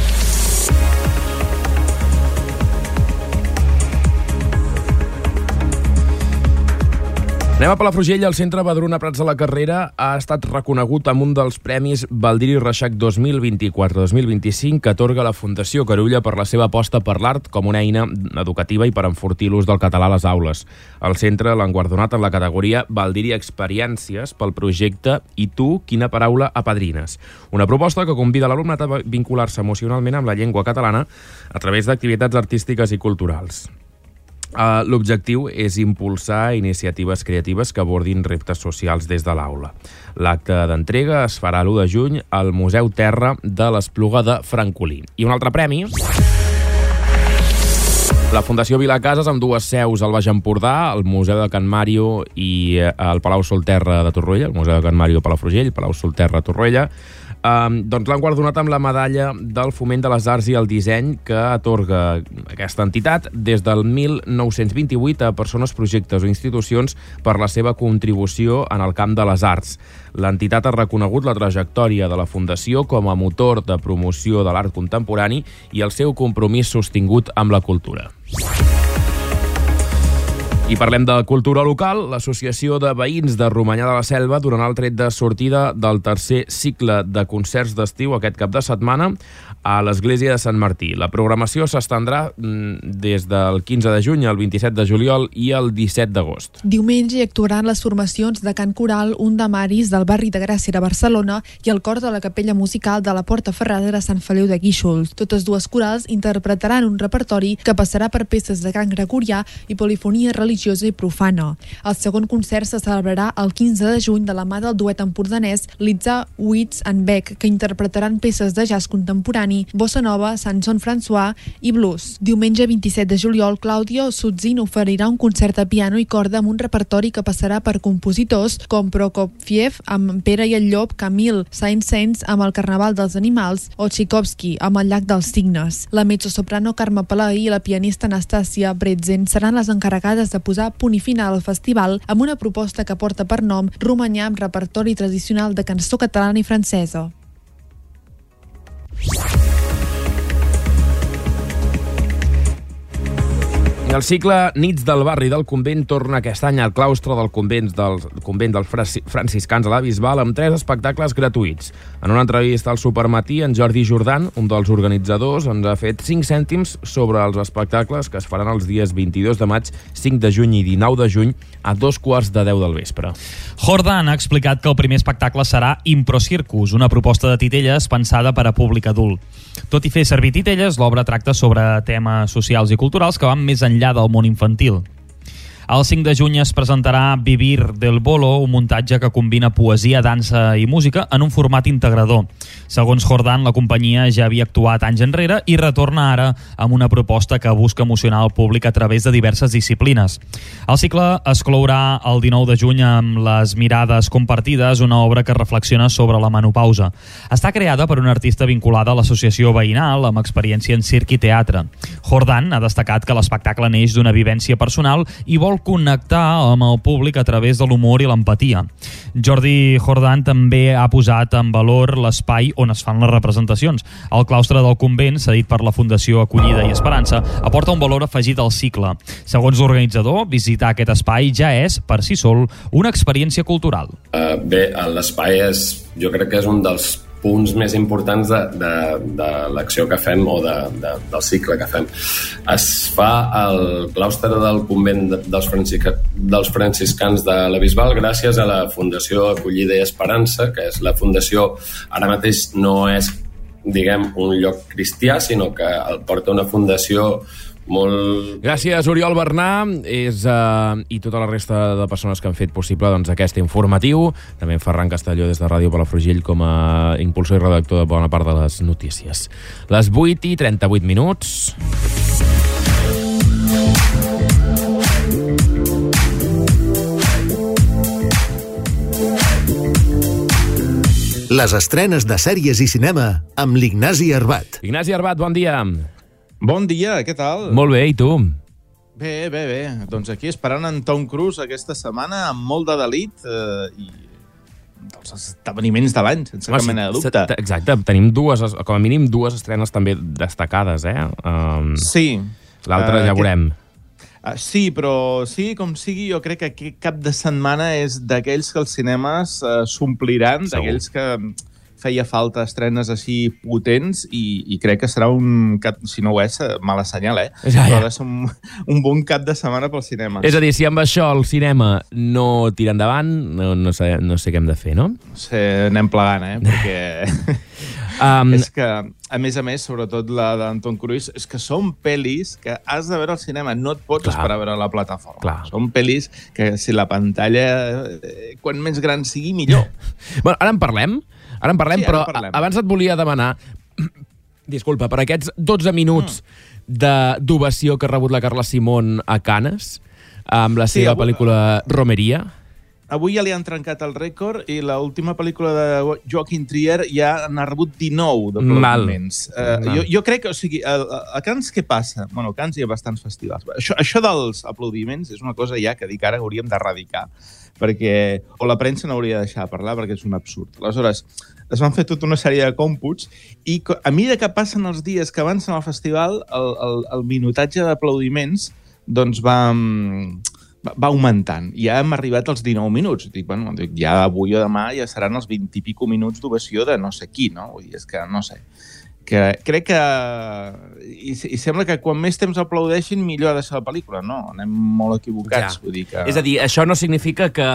A: Anem a Palafrugell. El Centre Badruna Prats de la Carrera ha estat reconegut amb un dels premis Baldiri Reixac 2024-2025 que atorga la Fundació Carulla per la seva aposta per l'art com una eina educativa i per enfortir l'ús del català a les aules. El centre l'ha guardonat en la categoria Baldiri Experiències pel projecte I tu, quina paraula apadrines? Una proposta que convida l'alumnat a vincular-se emocionalment amb la llengua catalana a través d'activitats artístiques i culturals. L'objectiu és impulsar iniciatives creatives que abordin reptes socials des de l'aula. L'acte d'entrega es farà l'1 de juny al Museu Terra de l'Espluga de Francolí. I un altre premi... La Fundació Vilacases, amb dues seus al Baix Empordà, el Museu de Can Màrio i el Palau Solterra de Torroella, el Museu de Can Màrio a Palafrugell, Palau Solterra a Torroella, doncs l'han guardonat amb la medalla del Foment de les Arts i el Disseny que atorga aquesta entitat des del 1928 a persones, projectes o institucions per la seva contribució en el camp de les arts. L'entitat ha reconegut la trajectòria de la Fundació com a motor de promoció de l'art contemporani i el seu compromís sostingut amb la cultura. I parlem de cultura local. L'Associació de Veïns de Romanyà de la Selva donarà el tret de sortida del tercer cicle de concerts d'estiu aquest cap de setmana a l'Església de Sant Martí. La programació s'estendrà des del 15 de juny al 27 de juliol i el 17 d'agost.
D: Diumenge hi actuaran les formacions de cant coral Un de Maris del barri de Gràcia de Barcelona i el cor de la Capella Musical de la Porta Ferrada de Sant Feliu de Guíxols. Totes dues corals interpretaran un repertori que passarà per peces de cant gregorià i polifonia religiosa i profana. El segon concert se celebrarà el 15 de juny de la mà del duet empordanès Litza Witz and Beck, que interpretaran peces de jazz contemporani, bossa nova, Sanson François i blues. Diumenge 27 de juliol, Claudio Sutzin oferirà un concert a piano i corda amb un repertori que passarà per compositors com Prokofiev amb Pere i el Llop, Camille Saint-Saëns amb el Carnaval dels Animals o Tchaikovsky amb el Llac dels Cignes. La mezzosoprano Carme Palaí i la pianista Anastàcia Bretzen seran les encarregades de posar punt i final al festival amb una proposta que porta per nom Romanyà amb repertori tradicional de cançó catalana i francesa.
A: El cicle Nits del barri del convent torna aquest any al claustre del convent dels franciscans a la Bisbal amb 3 espectacles gratuïts. En una entrevista al Supermatí, en Jordi Jordan, un dels organitzadors, ens ha fet 5 cèntims sobre els espectacles que es faran els dies 22 de maig, 5 de juny i 19 de juny a 2:15 del vespre.
G: Jordan ha explicat que el primer espectacle serà Impro Circus, una proposta de titelles pensada per a públic adult. Tot i fer servir titelles, l'obra tracta sobre temes socials i culturals que van més enllà del món infantil. El 5 de juny es presentarà Vivir del Bolo, un muntatge que combina poesia, dansa i música en un format integrador. Segons Jordan, la companyia ja havia actuat anys enrere i retorna ara amb una proposta que busca emocionar el públic a través de diverses disciplines. El cicle es clourà el 19 de juny amb Les mirades compartides, una obra que reflexiona sobre la menopausa. Està creada per una artista vinculada a l'associació veïnal amb experiència en circ i teatre. Jordan ha destacat que l'espectacle neix d'una vivència personal i vol connectar amb el públic a través de l'humor i l'empatia. Jordi Jordan també ha posat en valor l'espai on es fan les representacions. El claustre del convent, cedit per la Fundació Acollida i Esperança, aporta un valor afegit al cicle. Segons l'organitzador, visitar aquest espai ja és, per si sol, una experiència cultural.
N: Bé, l'espai jo crec que és un dels punts més importants de l'acció que fem o del cicle que fem. Es fa al claustre del convent dels franciscans de la Bisbal gràcies a la Fundació Acollida i Esperança, que és la fundació, ara mateix no és, diguem, un lloc cristià, sinó que el porta una fundació molt...
A: Gràcies, Oriol Bernà i tota la resta de persones que han fet possible aquest informatiu. També en Ferran Castelló des de Ràdio Palafrugell com a impulsor i redactor de bona part de les notícies. Les 8:38.
C: Les estrenes de sèries i cinema amb l'Ignasi Arbat.
A: Ignasi Arbat, bon dia.
O: Bon dia, què tal?
A: Molt bé, i tu?
O: Bé. Doncs aquí esperant en Tom Cruise aquesta setmana amb molt de delit i dels esdeveniments de l'any, sense cap mena de dubte.
A: Exacte, tenim com a mínim dues estrenes també destacades,
O: Sí.
A: L'altra ja veurem.
O: Sí, però sigui com sigui, jo crec que aquest cap de setmana és d'aquells que els cinemes s'ompliran, d'aquells que feia falta estrenes així potents i crec que serà si no ho és, mala senyal,
A: Ja.
O: Però ha de ser un bon cap de setmana pel cinema.
A: És a dir, si amb això el cinema no tira endavant, no sé què hem de fer, no?
O: Anem plegant, perquè... És que a més, sobretot la d'Anton Cruise, és que són pel·lis que has de veure al cinema, no et pots esperar a veure a la plataforma.
A: Clar.
O: Són pel·lis que si la pantalla, quan més gran sigui, millor.
A: Bueno, ara en parlem,
O: Sí,
A: però
O: ara en parlem.
A: abans et volia demanar, disculpa, per aquests 12 minuts d'ovació que ha rebut la Carla Simón a Cannes, amb la seva pel·lícula Romeria.
O: Avui ja li han trencat el rècord i l'última pel·lícula de Joaquin Trier ja n'ha rebut 19 d'aplaudiments. Jo crec que, o sigui, a Cannes què passa? Bueno, a Cannes hi ha bastants festivals. Això dels aplaudiments és una cosa ja que dic ara que hauríem d'erradicar, perquè o la premsa no hauria de deixar de parlar perquè és un absurd. Aleshores, es van fer tota una sèrie de còmputs i a mesura que passen els dies que avancen al festival, el minutatge d'aplaudiments doncs va augmentant. Ja hem arribat als 19 minuts. Dic, ja avui o demà ja seran els 20 i pico minuts d'ovació de no sé qui, no? Vull dir, és que no sé. Crec que... I sembla que quan més temps aplaudeixin, millor ha de ser la pel·lícula. No, anem molt equivocats.
A: Ja.
O: Vull dir que...
A: És a dir, això no significa que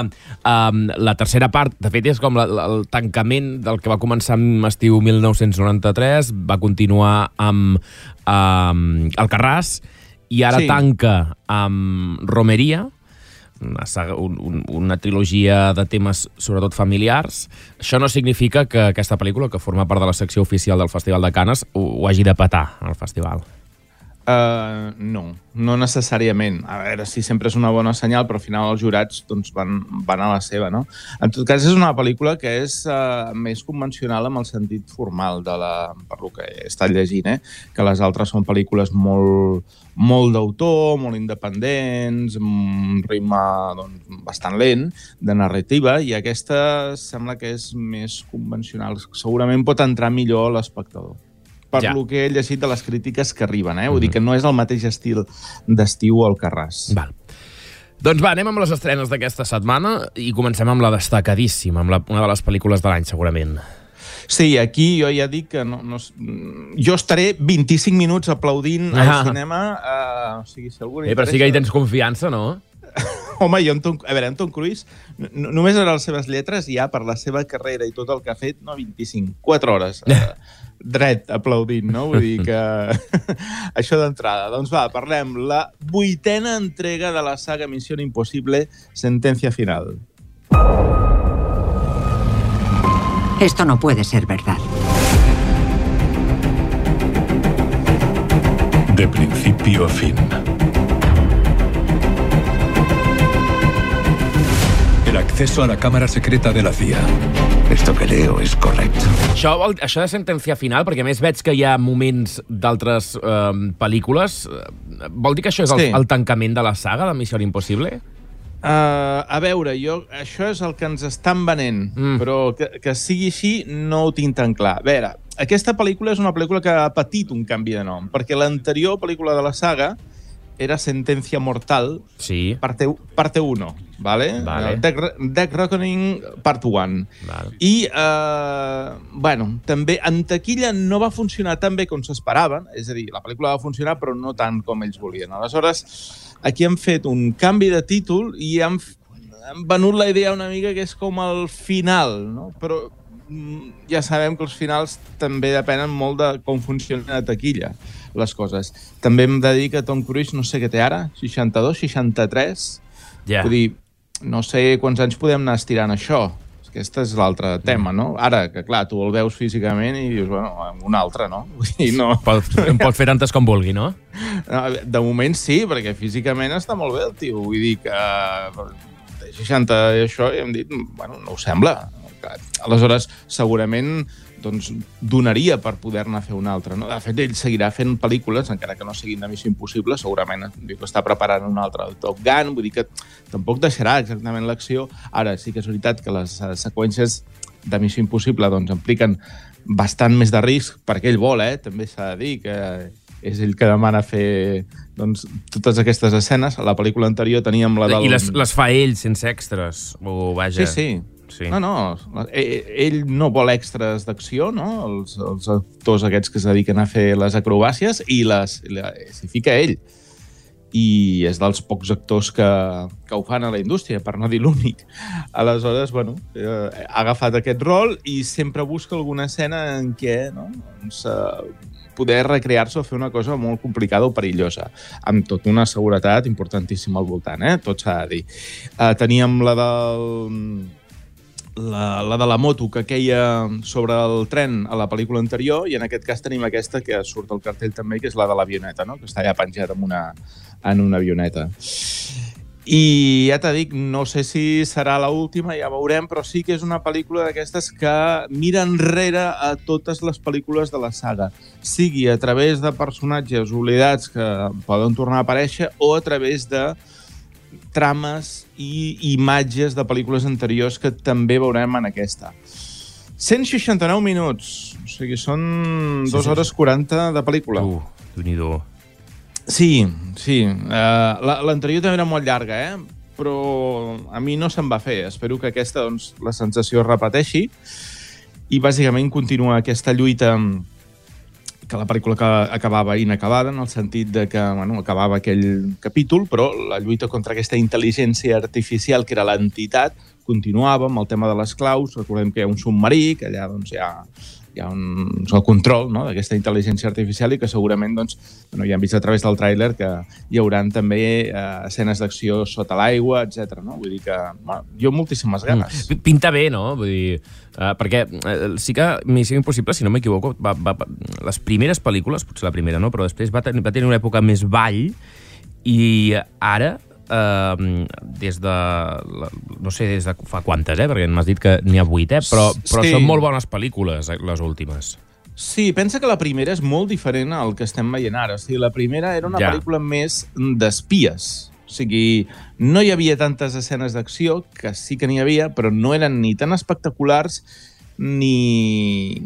A: la tercera part, de fet, és com el tancament del que va començar amb estiu 1993, va continuar amb Alcarràs, i ara tanca amb Romeria, una trilogia de temes sobretot familiars. Això no significa que aquesta pel·lícula, que forma part de la secció oficial del Festival de Cannes, ho hagi de petar al festival.
O: No necessàriament. A veure, si sempre és una bona senyal, però al final els jurats doncs, van a la seva, no? En tot cas, és una pel·lícula que és més convencional amb el sentit formal per lo que he estat llegint, que les altres són pel·lícules molt d'autor, molt independents, amb un ritme doncs, bastant lent, de narrativa, i aquesta sembla que és més convencional. Segurament pot entrar millor a l'espectador. Per lo que he llegit de les crítiques que arriben, Vull dir que no és el mateix estil d'estiu al Alcarràs.
A: Val. Doncs va, anem amb les estrenes d'aquesta setmana i comencem amb la destacadíssima, amb una de les pel·lícules de l'any, segurament.
O: Sí, aquí jo ja dic que jo estaré 25 minuts aplaudint al cinema. O sigui, si algú
A: però sí que hi tens confiança, no?
O: Home, Anton Cruise, només veure les seves lletres, ja per la seva carrera i tot el que ha fet, 25, 4 hores dret aplaudint, no? Vull dir que això d'entrada. Doncs va, parlem. La 8ª entrega de la saga Misión Imposible, Sentencia Final.
P: Esto no puede ser verdad.
Q: De principio a fin. El acceso a la cámara secreta de la CIA.
R: Esto que leo es correcto.
A: Això de Sentencia Final, perquè a més veig que hi ha moments d'altres pel·lícules, vol dir que això és el tancament de la saga de Missió Impossible?
O: A veure, això és el que ens estan venent, però que sigui així no ho tinc tan clar. A veure, aquesta pel·lícula és una pel·lícula que ha patit un canvi de nom, perquè l'anterior pel·lícula de la saga era Sentencia Mortal, parte 1, ¿vale? Death Reckoning Part 1.
A: Vale.
O: I, també en taquilla no va funcionar tan bé com s'esperaven, és a dir, la pel·lícula va funcionar però no tant com ells volien. Aleshores, aquí han fet un canvi de títol i han venut la idea una mica que és com el final, no? Però ja sabem que els finals també depenen molt de com funciona a taquilla les coses. També hem de dir que Tom Cruise, no sé què té ara, 62, 63? Vull dir, no sé quants anys podem anar estirant això. Aquest és l'altre tema, no? Ara, que clar, tu el veus físicament i dius, un altre, no? Vull dir, no.
A: Pot fer tantes com vulgui, no?
O: De moment sí, perquè físicament està molt bé el tio. Vull dir que 60 i això, i hem dit, no ho sembla. Aleshores, segurament donaria per poder-ne fer un altre. De fet, ell seguirà fent pel·lícules, encara que no siguin de Missió Impossible, segurament diu que està preparant un altre Top Gun, vull dir que tampoc deixarà exactament l'acció. Ara, sí que és veritat que les seqüències de Missió Impossible impliquen bastant més de risc, perquè ell vol, també s'ha de dir que és ell que demana fer totes aquestes escenes. A la pel·lícula anterior teníem la del...
A: I les fa ell sense extras, o vaja...
O: Sí. No, ell no vol extras d'acció, no? Els actors aquests que es dediquen a fer les acrobàcies i s'hi fica ell. i és dels pocs actors que ho fan a la indústria, per no dir l'únic. Aleshores, ha agafat aquest rol i sempre busca alguna escena en què poder recrear-se o fer una cosa molt complicada o perillosa, amb tota una seguretat importantíssima al voltant, tot s'ha de dir. Teníem la de la moto que queia sobre el tren a la pel·lícula anterior, i en aquest cas tenim aquesta que surt al cartell també, que és la de l'avioneta, no? Que està allà penjada en una avioneta. I ja t'ho dic, no sé si serà l'última, ja veurem, però sí que és una pel·lícula d'aquestes que mira enrere a totes les pel·lícules de la saga, sigui a través de personatges oblidats que poden tornar a aparèixer o a través de trames i imatges de pel·lícules anteriors que també veurem en aquesta. 169 minuts, o sigui, són 2 hores 40 de pel·lícula.
A: Déu-n'hi-do.
O: Sí. L'anterior també era molt llarga, però a mi no se'm va fer. Espero que aquesta, la sensació es repeteixi i bàsicament continua aquesta lluita que la pel·lícula acabava inacabada, en el sentit de que acabava aquell capítol, però la lluita contra aquesta intel·ligència artificial, que era l'entitat, continuava amb el tema de les claus. Recordem que hi ha un submarí, que allà hi ha el control d'aquesta intel·ligència artificial i que segurament, ja hem vist a través del tràiler que hi haurà també escenes d'acció sota l'aigua, etc. Vull dir que jo moltíssimes ganes.
A: Pinta bé, no? Vull dir, perquè sí que Missió Impossible, si no m'equivoco, les primeres pel·lícules, potser la primera no, però després va tenir una època més ball i ara des de no sé des de fa quantes, perquè m'has dit que n'hi ha 8, però sí. Són molt bones pel·lícules les últimes.
O: Sí, pensa que la primera és molt diferent al que estem veient ara. O sigui, la primera era una pel·lícula més d'espies. O sigui, no hi havia tantes escenes d'acció, que sí que n'hi havia, però no eren ni tan espectaculars ni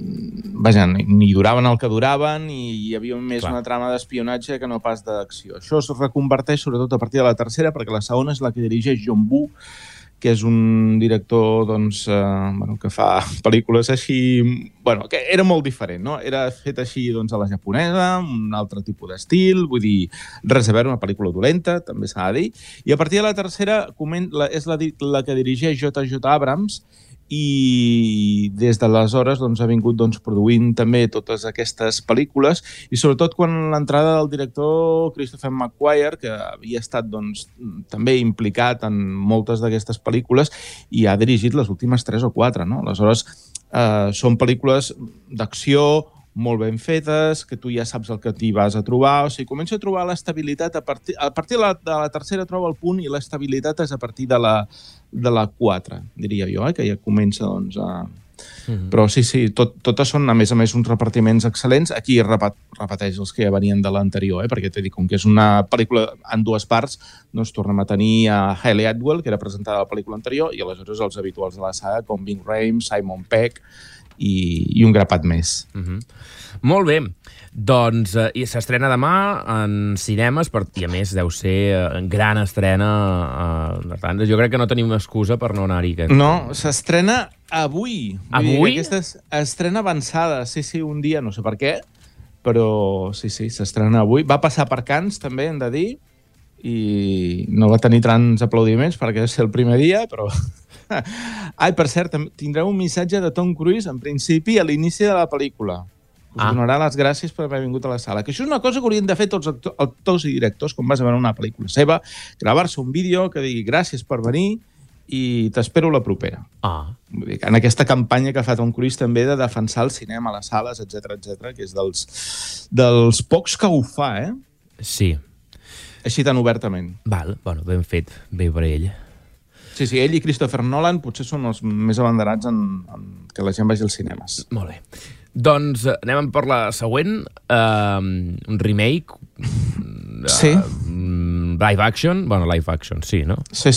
O: duraven el que duraven, i hi havia més una trama d'espionatge que no pas d'acció. Això es reconverteix sobretot a partir de la tercera, perquè la segona és la que dirigeix John Woo, que és un director que fa pel·lícules així... que era molt diferent, no? Era fet així a la japonesa, un altre tipus d'estil, vull dir, res a veure, una pel·lícula dolenta, també s'ha de dir. I a partir de la tercera és la que dirigeix J.J. Abrams, i des d'aleshores ha vingut produint també totes aquestes pel·lícules, i sobretot quan l'entrada del director Christopher McQuarrie, que havia estat també implicat en moltes d'aquestes pel·lícules i ha dirigit les últimes 3 o 4, no? Aleshores, són pel·lícules d'acció molt ben fetes, que tu ja saps el que t'hi vas a trobar, o sigui, comença a trobar l'estabilitat a partir de la tercera troba el punt, i l'estabilitat és a partir de la 4, diria jo, que ja comença a... Però sí, totes són, a més, uns repartiments excel·lents. Aquí repeteix els que ja venien de l'anterior, perquè t'he dit, com que és una pel·lícula en 2 parts, tornem a tenir a Hayley Atwell, que era presentada a la pel·lícula anterior, i aleshores els habituals de la saga, com Ving Rhames, Simon Pegg, i un grapat més.
A: Molt bé. Doncs s'estrena demà en cinemes, i a més deu ser gran estrena. Jo crec que no tenim excusa per no anar-hi.
O: No, s'estrena avui.
A: Avui?
O: Aquesta estrena avançada, sí, un dia, no sé per què, però sí, s'estrena avui. Va passar per Cannes, també, hem de dir, i no va tenir tants aplaudiments perquè és el primer dia, però... Ai, per cert, tindreu un missatge de Tom Cruise, en principi, a l'inici de la pel·lícula. Us donarà les gràcies per haver vingut a la sala. Que això és una cosa que haurien de fer tots els actors i directors quan vas a veure una pel·lícula seva, gravar-se un vídeo que digui gràcies per venir i t'espero la propera. Vull dir, en aquesta campanya que fa Tom Cruise també de defensar el cinema, les sales, etc, que és dels pocs que ho fa,
A: Sí.
O: Així tan obertament.
A: Val, ben fet, bé per ell.
O: Sí, ell i Christopher Nolan potser són els més abanderats en que la gent vagi als cinemes.
A: Molt bé. Doncs anem per la següent, un remake, live action, sí, no?
O: Sí,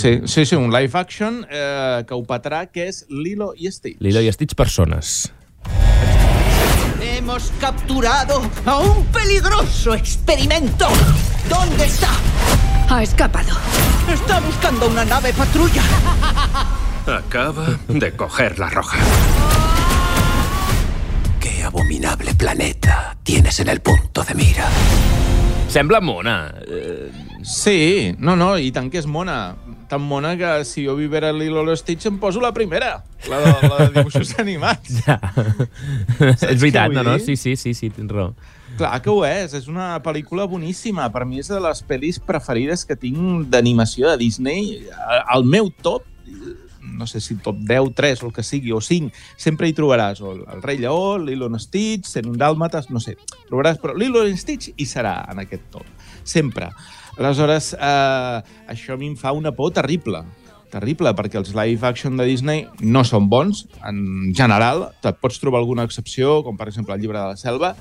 O: un live action que ho petarà, que és Lilo y Stitch.
A: Lilo y Stitch personas.
S: Hemos capturado a un peligroso experimento. ¿Dónde está?
T: Ha escapado.
S: Está buscando una nave patrulla.
R: Acaba de coger la roja. ¿Qué abominable planeta tienes en el punto de mira?
A: Sembla mona.
O: Sí, no, i tant que és mona. Tan mona que si jo vivera Lilo i Stitch em poso la primera, la de dibuixos animats.
A: Ja. És veritat, no? Sí, tens raó.
O: Clar que ho és una pel·lícula boníssima. Per mi és de les pel·lis preferides que tinc d'animació de Disney. El meu top, no sé si top 10, 3 o el que sigui, o 5, sempre hi trobaràs el Rei Lleó, Lilo i Stitch, 101 Dàlmates, no sé. Trobaràs, però Lilo i Stitch hi serà en aquest top. Sempre. Aleshores, això a mi em fa una por terrible, perquè els live action de Disney no són bons, en general. Et pots trobar alguna excepció, com per exemple el Llibre de la Selva,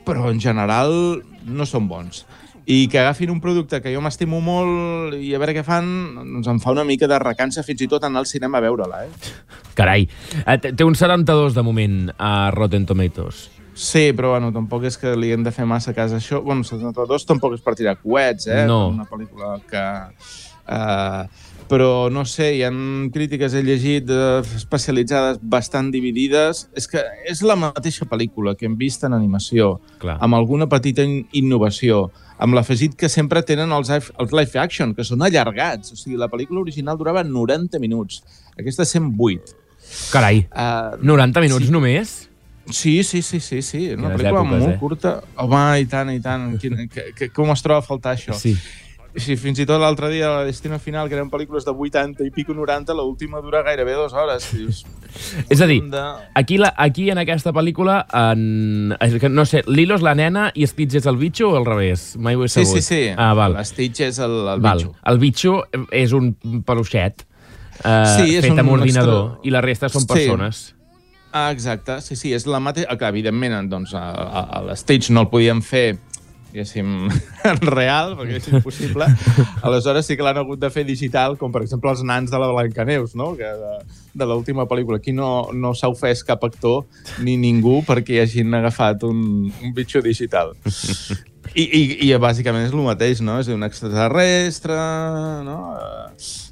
O: però en general no són bons. I que agafin un producte que jo m'estimo molt i a veure què fan, doncs em fa una mica de recança fins i tot anar al cinema a veure-la,
A: Carai, té un 72 de moment a Rotten Tomatoes.
O: Sí, però bueno, tampoc és que li hem de fer massa cas a això. Bueno, 72 tampoc és per tirar coets,
A: No.
O: Una pel·lícula que... però no sé, hi ha crítiques, he llegit, especialitzades bastant dividides. És que és la mateixa pel·lícula que hem vist en animació, amb alguna petita innovació, amb l'afegit que sempre tenen els live action, que són allargats. O sigui, la pel·lícula original durava 90 minuts. Aquesta 108.
A: Carai, 90 minuts només?
O: Sí. Una pel·lícula molt curta. Home, i tant. Com es troba a faltar això? Sí, fins i tot l'altre dia, la Destino Final, que eren pel·lícules de 80 i pico 90, l'última dura gairebé 2 hores.
A: És a dir, aquí en aquesta pel·lícula, no sé, Lilo és la nena i Stitch és el bitxo o al revés? Mai ho he sabut.
O: Sí.
A: Val.
O: Stitch és el bitxo.
A: El bitxo és un peluixet fet amb ordinador i la resta són persones.
O: Exacte, sí, és la mateixa... Evidentment, doncs, l'Stitch no el podíem fer diguéssim, real, perquè és impossible. Aleshores sí que l'han hagut de fer digital, com per exemple els nans de la Blancaneus, no? Que de l'última pel·lícula. Aquí no s'ha ofès cap actor ni ningú perquè hi hagin agafat un bitxo digital. I bàsicament és el mateix, no? És un extraterrestre, no?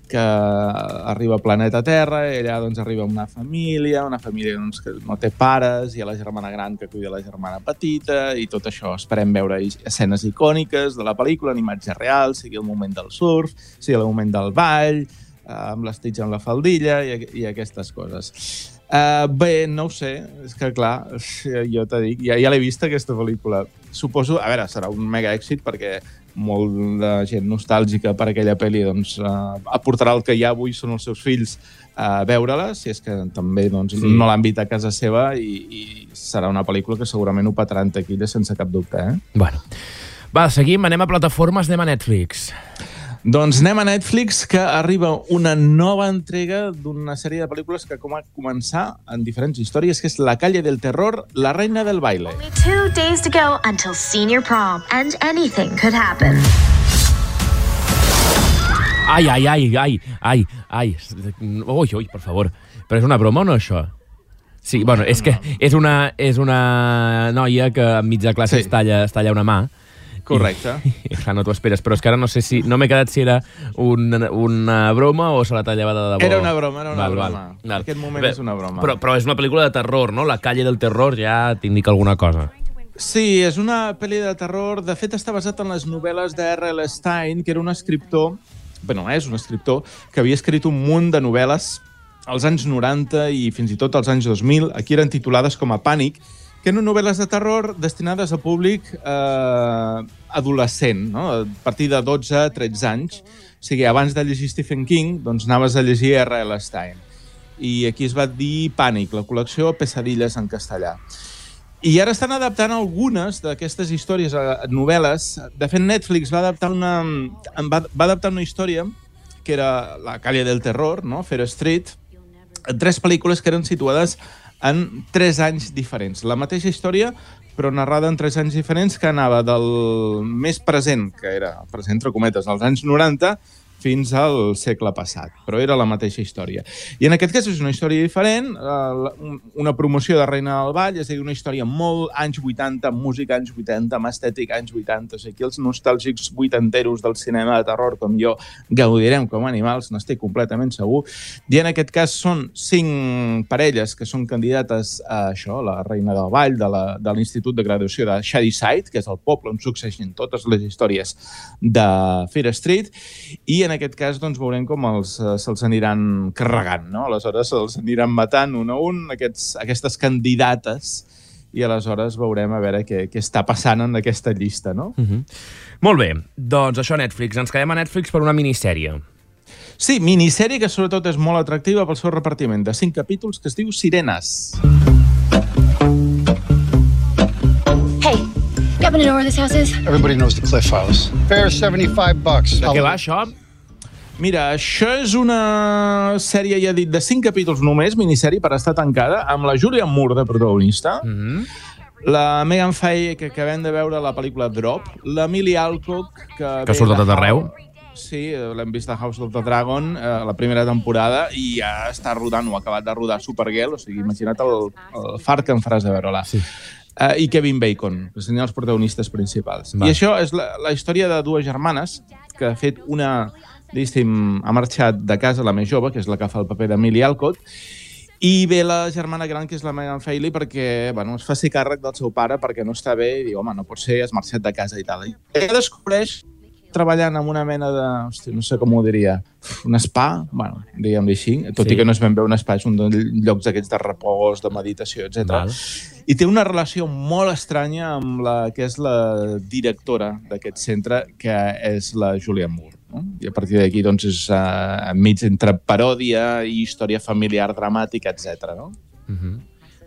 O: Que arriba al planeta Terra i allà doncs, arriba una família doncs, que no té pares, i a la germana gran que cuida la germana petita, i tot això. Esperem veure escenes icòniques de la pel·lícula, en imatge real, sigui el moment del surf, sigui el moment del ball, amb l'Stitch en la faldilla i aquestes coses. Bé, no ho sé, és que clar, jo t'he dit, ja l'he vist aquesta pel·lícula. Suposo, a veure, serà un mega èxit perquè molt de gent nostàlgica per aquella pel·li doncs, aportarà el que ja avui són els seus fills a veure-la, si és que també doncs, no l'han vist a casa seva, i serà una pel·lícula que segurament ho petarà en taquilla sense cap dubte.
A: Bueno, va, seguim, anem a plataformes, anem a Netflix.
O: Doncs anem a Netflix, que arriba una nova entrega d'una sèrie de pel·lícules que va començar en diferents històries, que és La calle del terror, La reina del baile.
U: Only 2 days to go until senior prom, and anything could happen.
A: Ai. Ui, per favor. Però és una broma o no, això? Sí, bueno, és que és una noia que enmig de classe es talla una mà.
O: Correcte.
A: No t'ho esperes, però és que ara no sé si... No m'he quedat si era una broma o se la tallava de debò.
O: Era una broma. En aquest moment és una broma.
A: Però és una pel·lícula de terror, no? La calle del terror ja t'indica alguna cosa.
O: Sí, és una pel·li de terror. De fet, està basat en les novel·les d'R.L. Stein, que era un escriptor... és un escriptor que havia escrit un munt de novel·les als anys 90 i fins i tot als anys 2000. Aquí eren titulades com a Pànic, que eren novel·les de terror destinades a públic adolescent, no? A partir de 12-13 anys. O sigui, abans de llegir Stephen King, doncs anaves a llegir R.L. Stein. I aquí es va dir Pànic, la col·lecció Pesadilles en castellà. I ara estan adaptant algunes d'aquestes històries a novel·les. De fet, Netflix va adaptar una història que era La calle del terror, no? Fear Street, 3 pel·lícules que eren situades en 3 anys diferents. La mateixa història, però narrada en 3 anys diferents, que anava del més present, que era present entre cometes, als anys 90, fins al segle passat, però era la mateixa història. I en aquest cas és una història diferent, una promoció de Reina del Ball, és a dir, una història molt anys 80, amb música anys 80, amb estètica anys 80, o sigui, aquí els nostàlgics vuitanteros del cinema de terror, com jo, gaudirem com a animals, n'estic completament segur. I en aquest cas són 5 parelles que són candidates a això, la Reina del Ball, de l'Institut de Graduació de Shadyside, que és el poble on succeeixen totes les històries de Fear Street, i en aquest cas doncs, veurem com se'ls aniran carregant, no? Aleshores se'ls aniran matant un a un aquestes candidates i aleshores veurem a veure què està passant en aquesta llista, no?
A: Molt bé, doncs això a Netflix. Ens quedem a Netflix per una minissèrie.
O: Sí, minissèrie que sobretot és molt atractiva pel seu repartiment de 5 capítols que es diu Sirenes.
B: Hey, you happen to know where this house is?
V: Everybody knows the Cliff House. Fare $75.
A: De què va, això?
O: Mira, això és una sèrie, ja he dit, de 5 capítols només, minissèrie per estar tancada, amb la Julianne Moore de protagonista, la Megan Fay, que acabem de veure la pel·lícula Drop, l'Emily Alcock, que
A: ha sortit a tot arreu.
O: Sí, l'hem vist a House of the Dragon, la primera temporada, i ja està rodant, o ha acabat de rodar Supergirl, o sigui, imagina't el fart que em faràs de veure-la. Sí. I Kevin Bacon, que serien els protagonistes principals. I això és la història de 2 germanes, que ha fet una, diguéssim, ha marxat de casa, la més jove, que és la que fa el paper d'Emily Alcott, i ve la germana gran, que és la Megan Failey, perquè es faci càrrec del seu pare perquè no està bé, i diu, home, no pot ser, has marxat de casa i tal. I ella descobreix treballant amb una mena de, no sé com ho diria, un spa, diguem-li així, tot i que no és ben bé un spa, és un dels llocs aquests de repòs, de meditació, etc. I té una relació molt estranya amb la que és la directora d'aquest centre, que és la Julianne Moore. I a partir d'aquí doncs, és enmig entre paròdia i història familiar dramàtica, etc.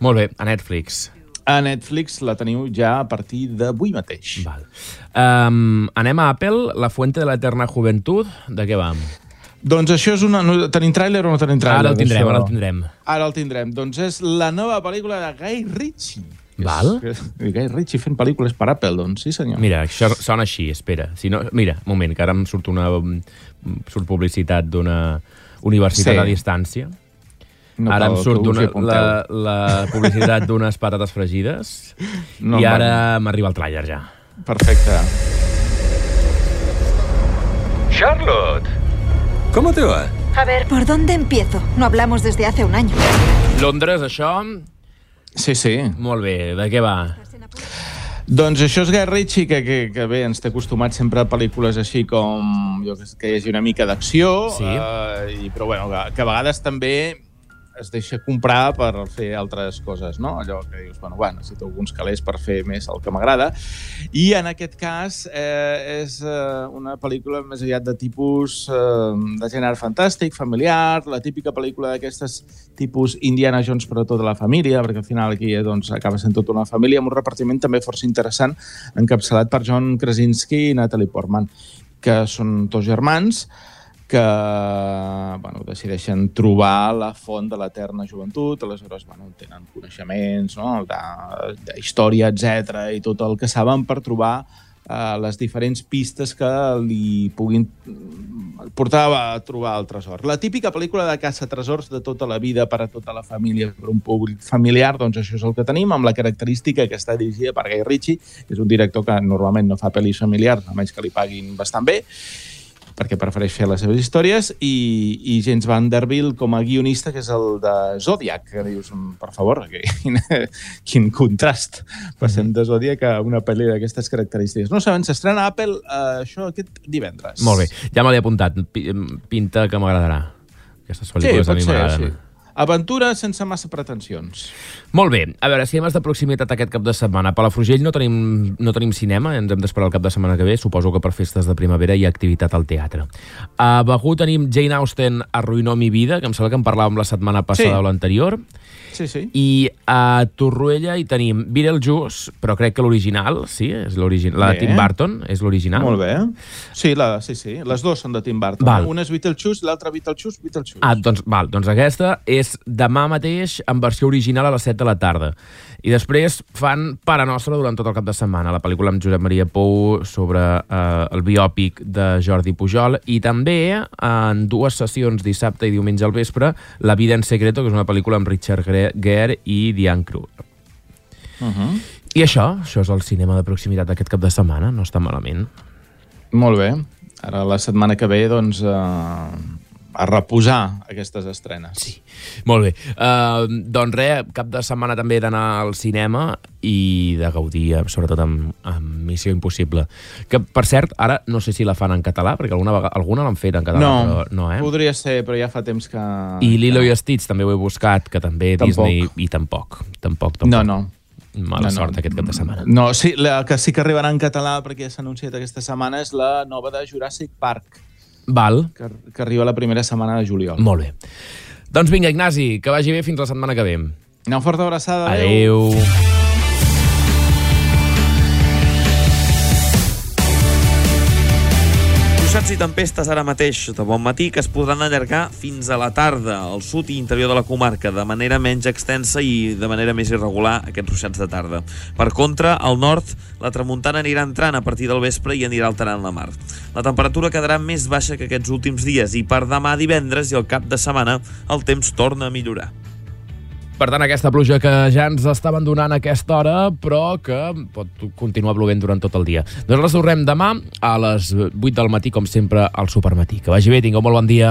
A: Molt bé, a Netflix.
O: A Netflix la teniu ja a partir d'avui mateix.
A: Anem a Apple, La Fuente de la Eterna Juventud. De què va?
O: Doncs això és una... Tenim tràiler o no tenim tràiler?
A: Ara el tindrem.
O: Ara el tindrem. Doncs és la nova pel·lícula de Guy Ritchie.
A: Val?
O: Guy Ritchie fent pel·lícules per Apple, doncs, sí senyor.
A: Mira, això sona així, espera. Si no, mira, un moment, que ara em surt publicitat d'una universitat a distància. No, ara em surt la publicitat d'unes patates fregides i ara m'arriba el tràiler ja.
O: Perfecte.
R: Charlotte, ¿cómo te va?
W: A ver, ¿por dónde empiezo? No hablamos desde hace un año.
A: Londres, això?
O: Sí, sí.
A: Molt bé, de què va?
O: Doncs això és Guy Ritchie, que bé, ens té acostumats sempre a pel·lícules així com que hi hagi una mica d'acció, però bueno, que a vegades també es deixa comprar per fer altres coses, no? Allò que dius, bueno, necessito alguns calés per fer més el que m'agrada. I en aquest cas és una pel·lícula més aviat de tipus de gènere fantàstic, familiar, la típica pel·lícula d'aquestes tipus Indiana Jones per a tota la família, perquè al final aquí doncs, acaba sent tota una família, amb un repartiment també força interessant, encapçalat per John Krasinski i Natalie Portman, que són 2 germans, que decideixen trobar la font de l'eterna joventut, aleshores tenen coneixements de història, etc i tot el que saben per trobar les diferents pistes que li puguin portar a trobar el tresor. La típica pel·lícula de caça-tresors de tota la vida per a tota la família, per un públic familiar, doncs això és el que tenim, amb la característica que està dirigida per Guy Ritchie, que és un director que normalment no fa pel·lis familiars, a menys que li paguin bastant bé, perquè prefereix fer les seves històries, i James Vanderbilt com a guionista, que és el de Zodiac, que dius, per favor, quin contrast. Passem de Zodiac a una pel·li d'aquestes característiques. No saben, s'estrena a Apple això aquest divendres.
A: Molt bé, ja me l'he apuntat. Pinta que m'agradarà. Aquestes pel·lícules a mi m'agraden.
O: Sí. Aventura sense massa pretensions.
A: Molt bé. A veure, cinemes de proximitat aquest cap de setmana. A Palafrugell no tenim cinema, ens hem d'esperar el cap de setmana que ve. Suposo que per festes de primavera hi ha activitat al teatre. A Begur tenim Jane Austen arruïnó mi vida, que em sembla que en parlàvem la setmana passada o l'anterior.
O: Sí.
A: I a Torroella hi tenim Beetlejuice, però crec que l'original, sí, és l'original. La de Tim Burton és l'original.
O: Molt bé. Sí, les dues són de Tim Burton. Una és Beetlejuice, l'altra Beetlejuice.
A: Doncs aquesta és és demà mateix en versió original a les 7 de la tarda. I després fan Pare Nostra durant tot el cap de setmana, la pel·lícula amb Josep Maria Pou sobre el biòpic de Jordi Pujol, i també en 2 sessions dissabte i diumenge al vespre La vida en secreto, que és una pel·lícula amb Richard Gere i Diane Kruger. I això és el cinema de proximitat d'aquest cap de setmana, no està malament.
O: Molt bé. Ara la setmana que ve, doncs, a reposar aquestes estrenes.
A: Sí, molt bé. Doncs res, cap de setmana també he d'anar al cinema i de gaudir, sobretot amb Missió Impossible. Que, per cert, ara no sé si la fan en català, perquè alguna l'han fet en català.
O: No,
A: però no,
O: podria ser, però ja fa temps que...
A: I Lilo i Stitch també ho he buscat, que també Disney... I tampoc.
O: No.
A: Mala sort aquest cap de setmana.
O: No, sí, la que sí que arribarà en català, perquè ja s'ha anunciat aquesta setmana, és la nova de Jurassic Park.
A: Val.
O: Que arriba la primera setmana de juliol.
A: Molt bé. Doncs vinga, Ignasi, que vagi bé fins la setmana que ve.
O: Una forta abraçada.
A: Adéu.
H: Ruixats i tempestes ara mateix de bon matí que es podran allargar fins a la tarda al sud i interior de la comarca de manera menys extensa i de manera més irregular aquests ruixats de tarda. Per contra, al nord la tramuntana anirà entrant a partir del vespre i anirà alterant la mar. La temperatura quedarà més baixa que aquests últims dies i per demà divendres i el cap de setmana el temps torna a millorar.
A: Per tant, aquesta pluja que ja ens estaven donant a aquesta hora, però que pot continuar plovent durant tot el dia. Doncs les tornem demà a les 8 del matí, com sempre, al Supermatí. Que vagi bé, tingueu molt bon dia.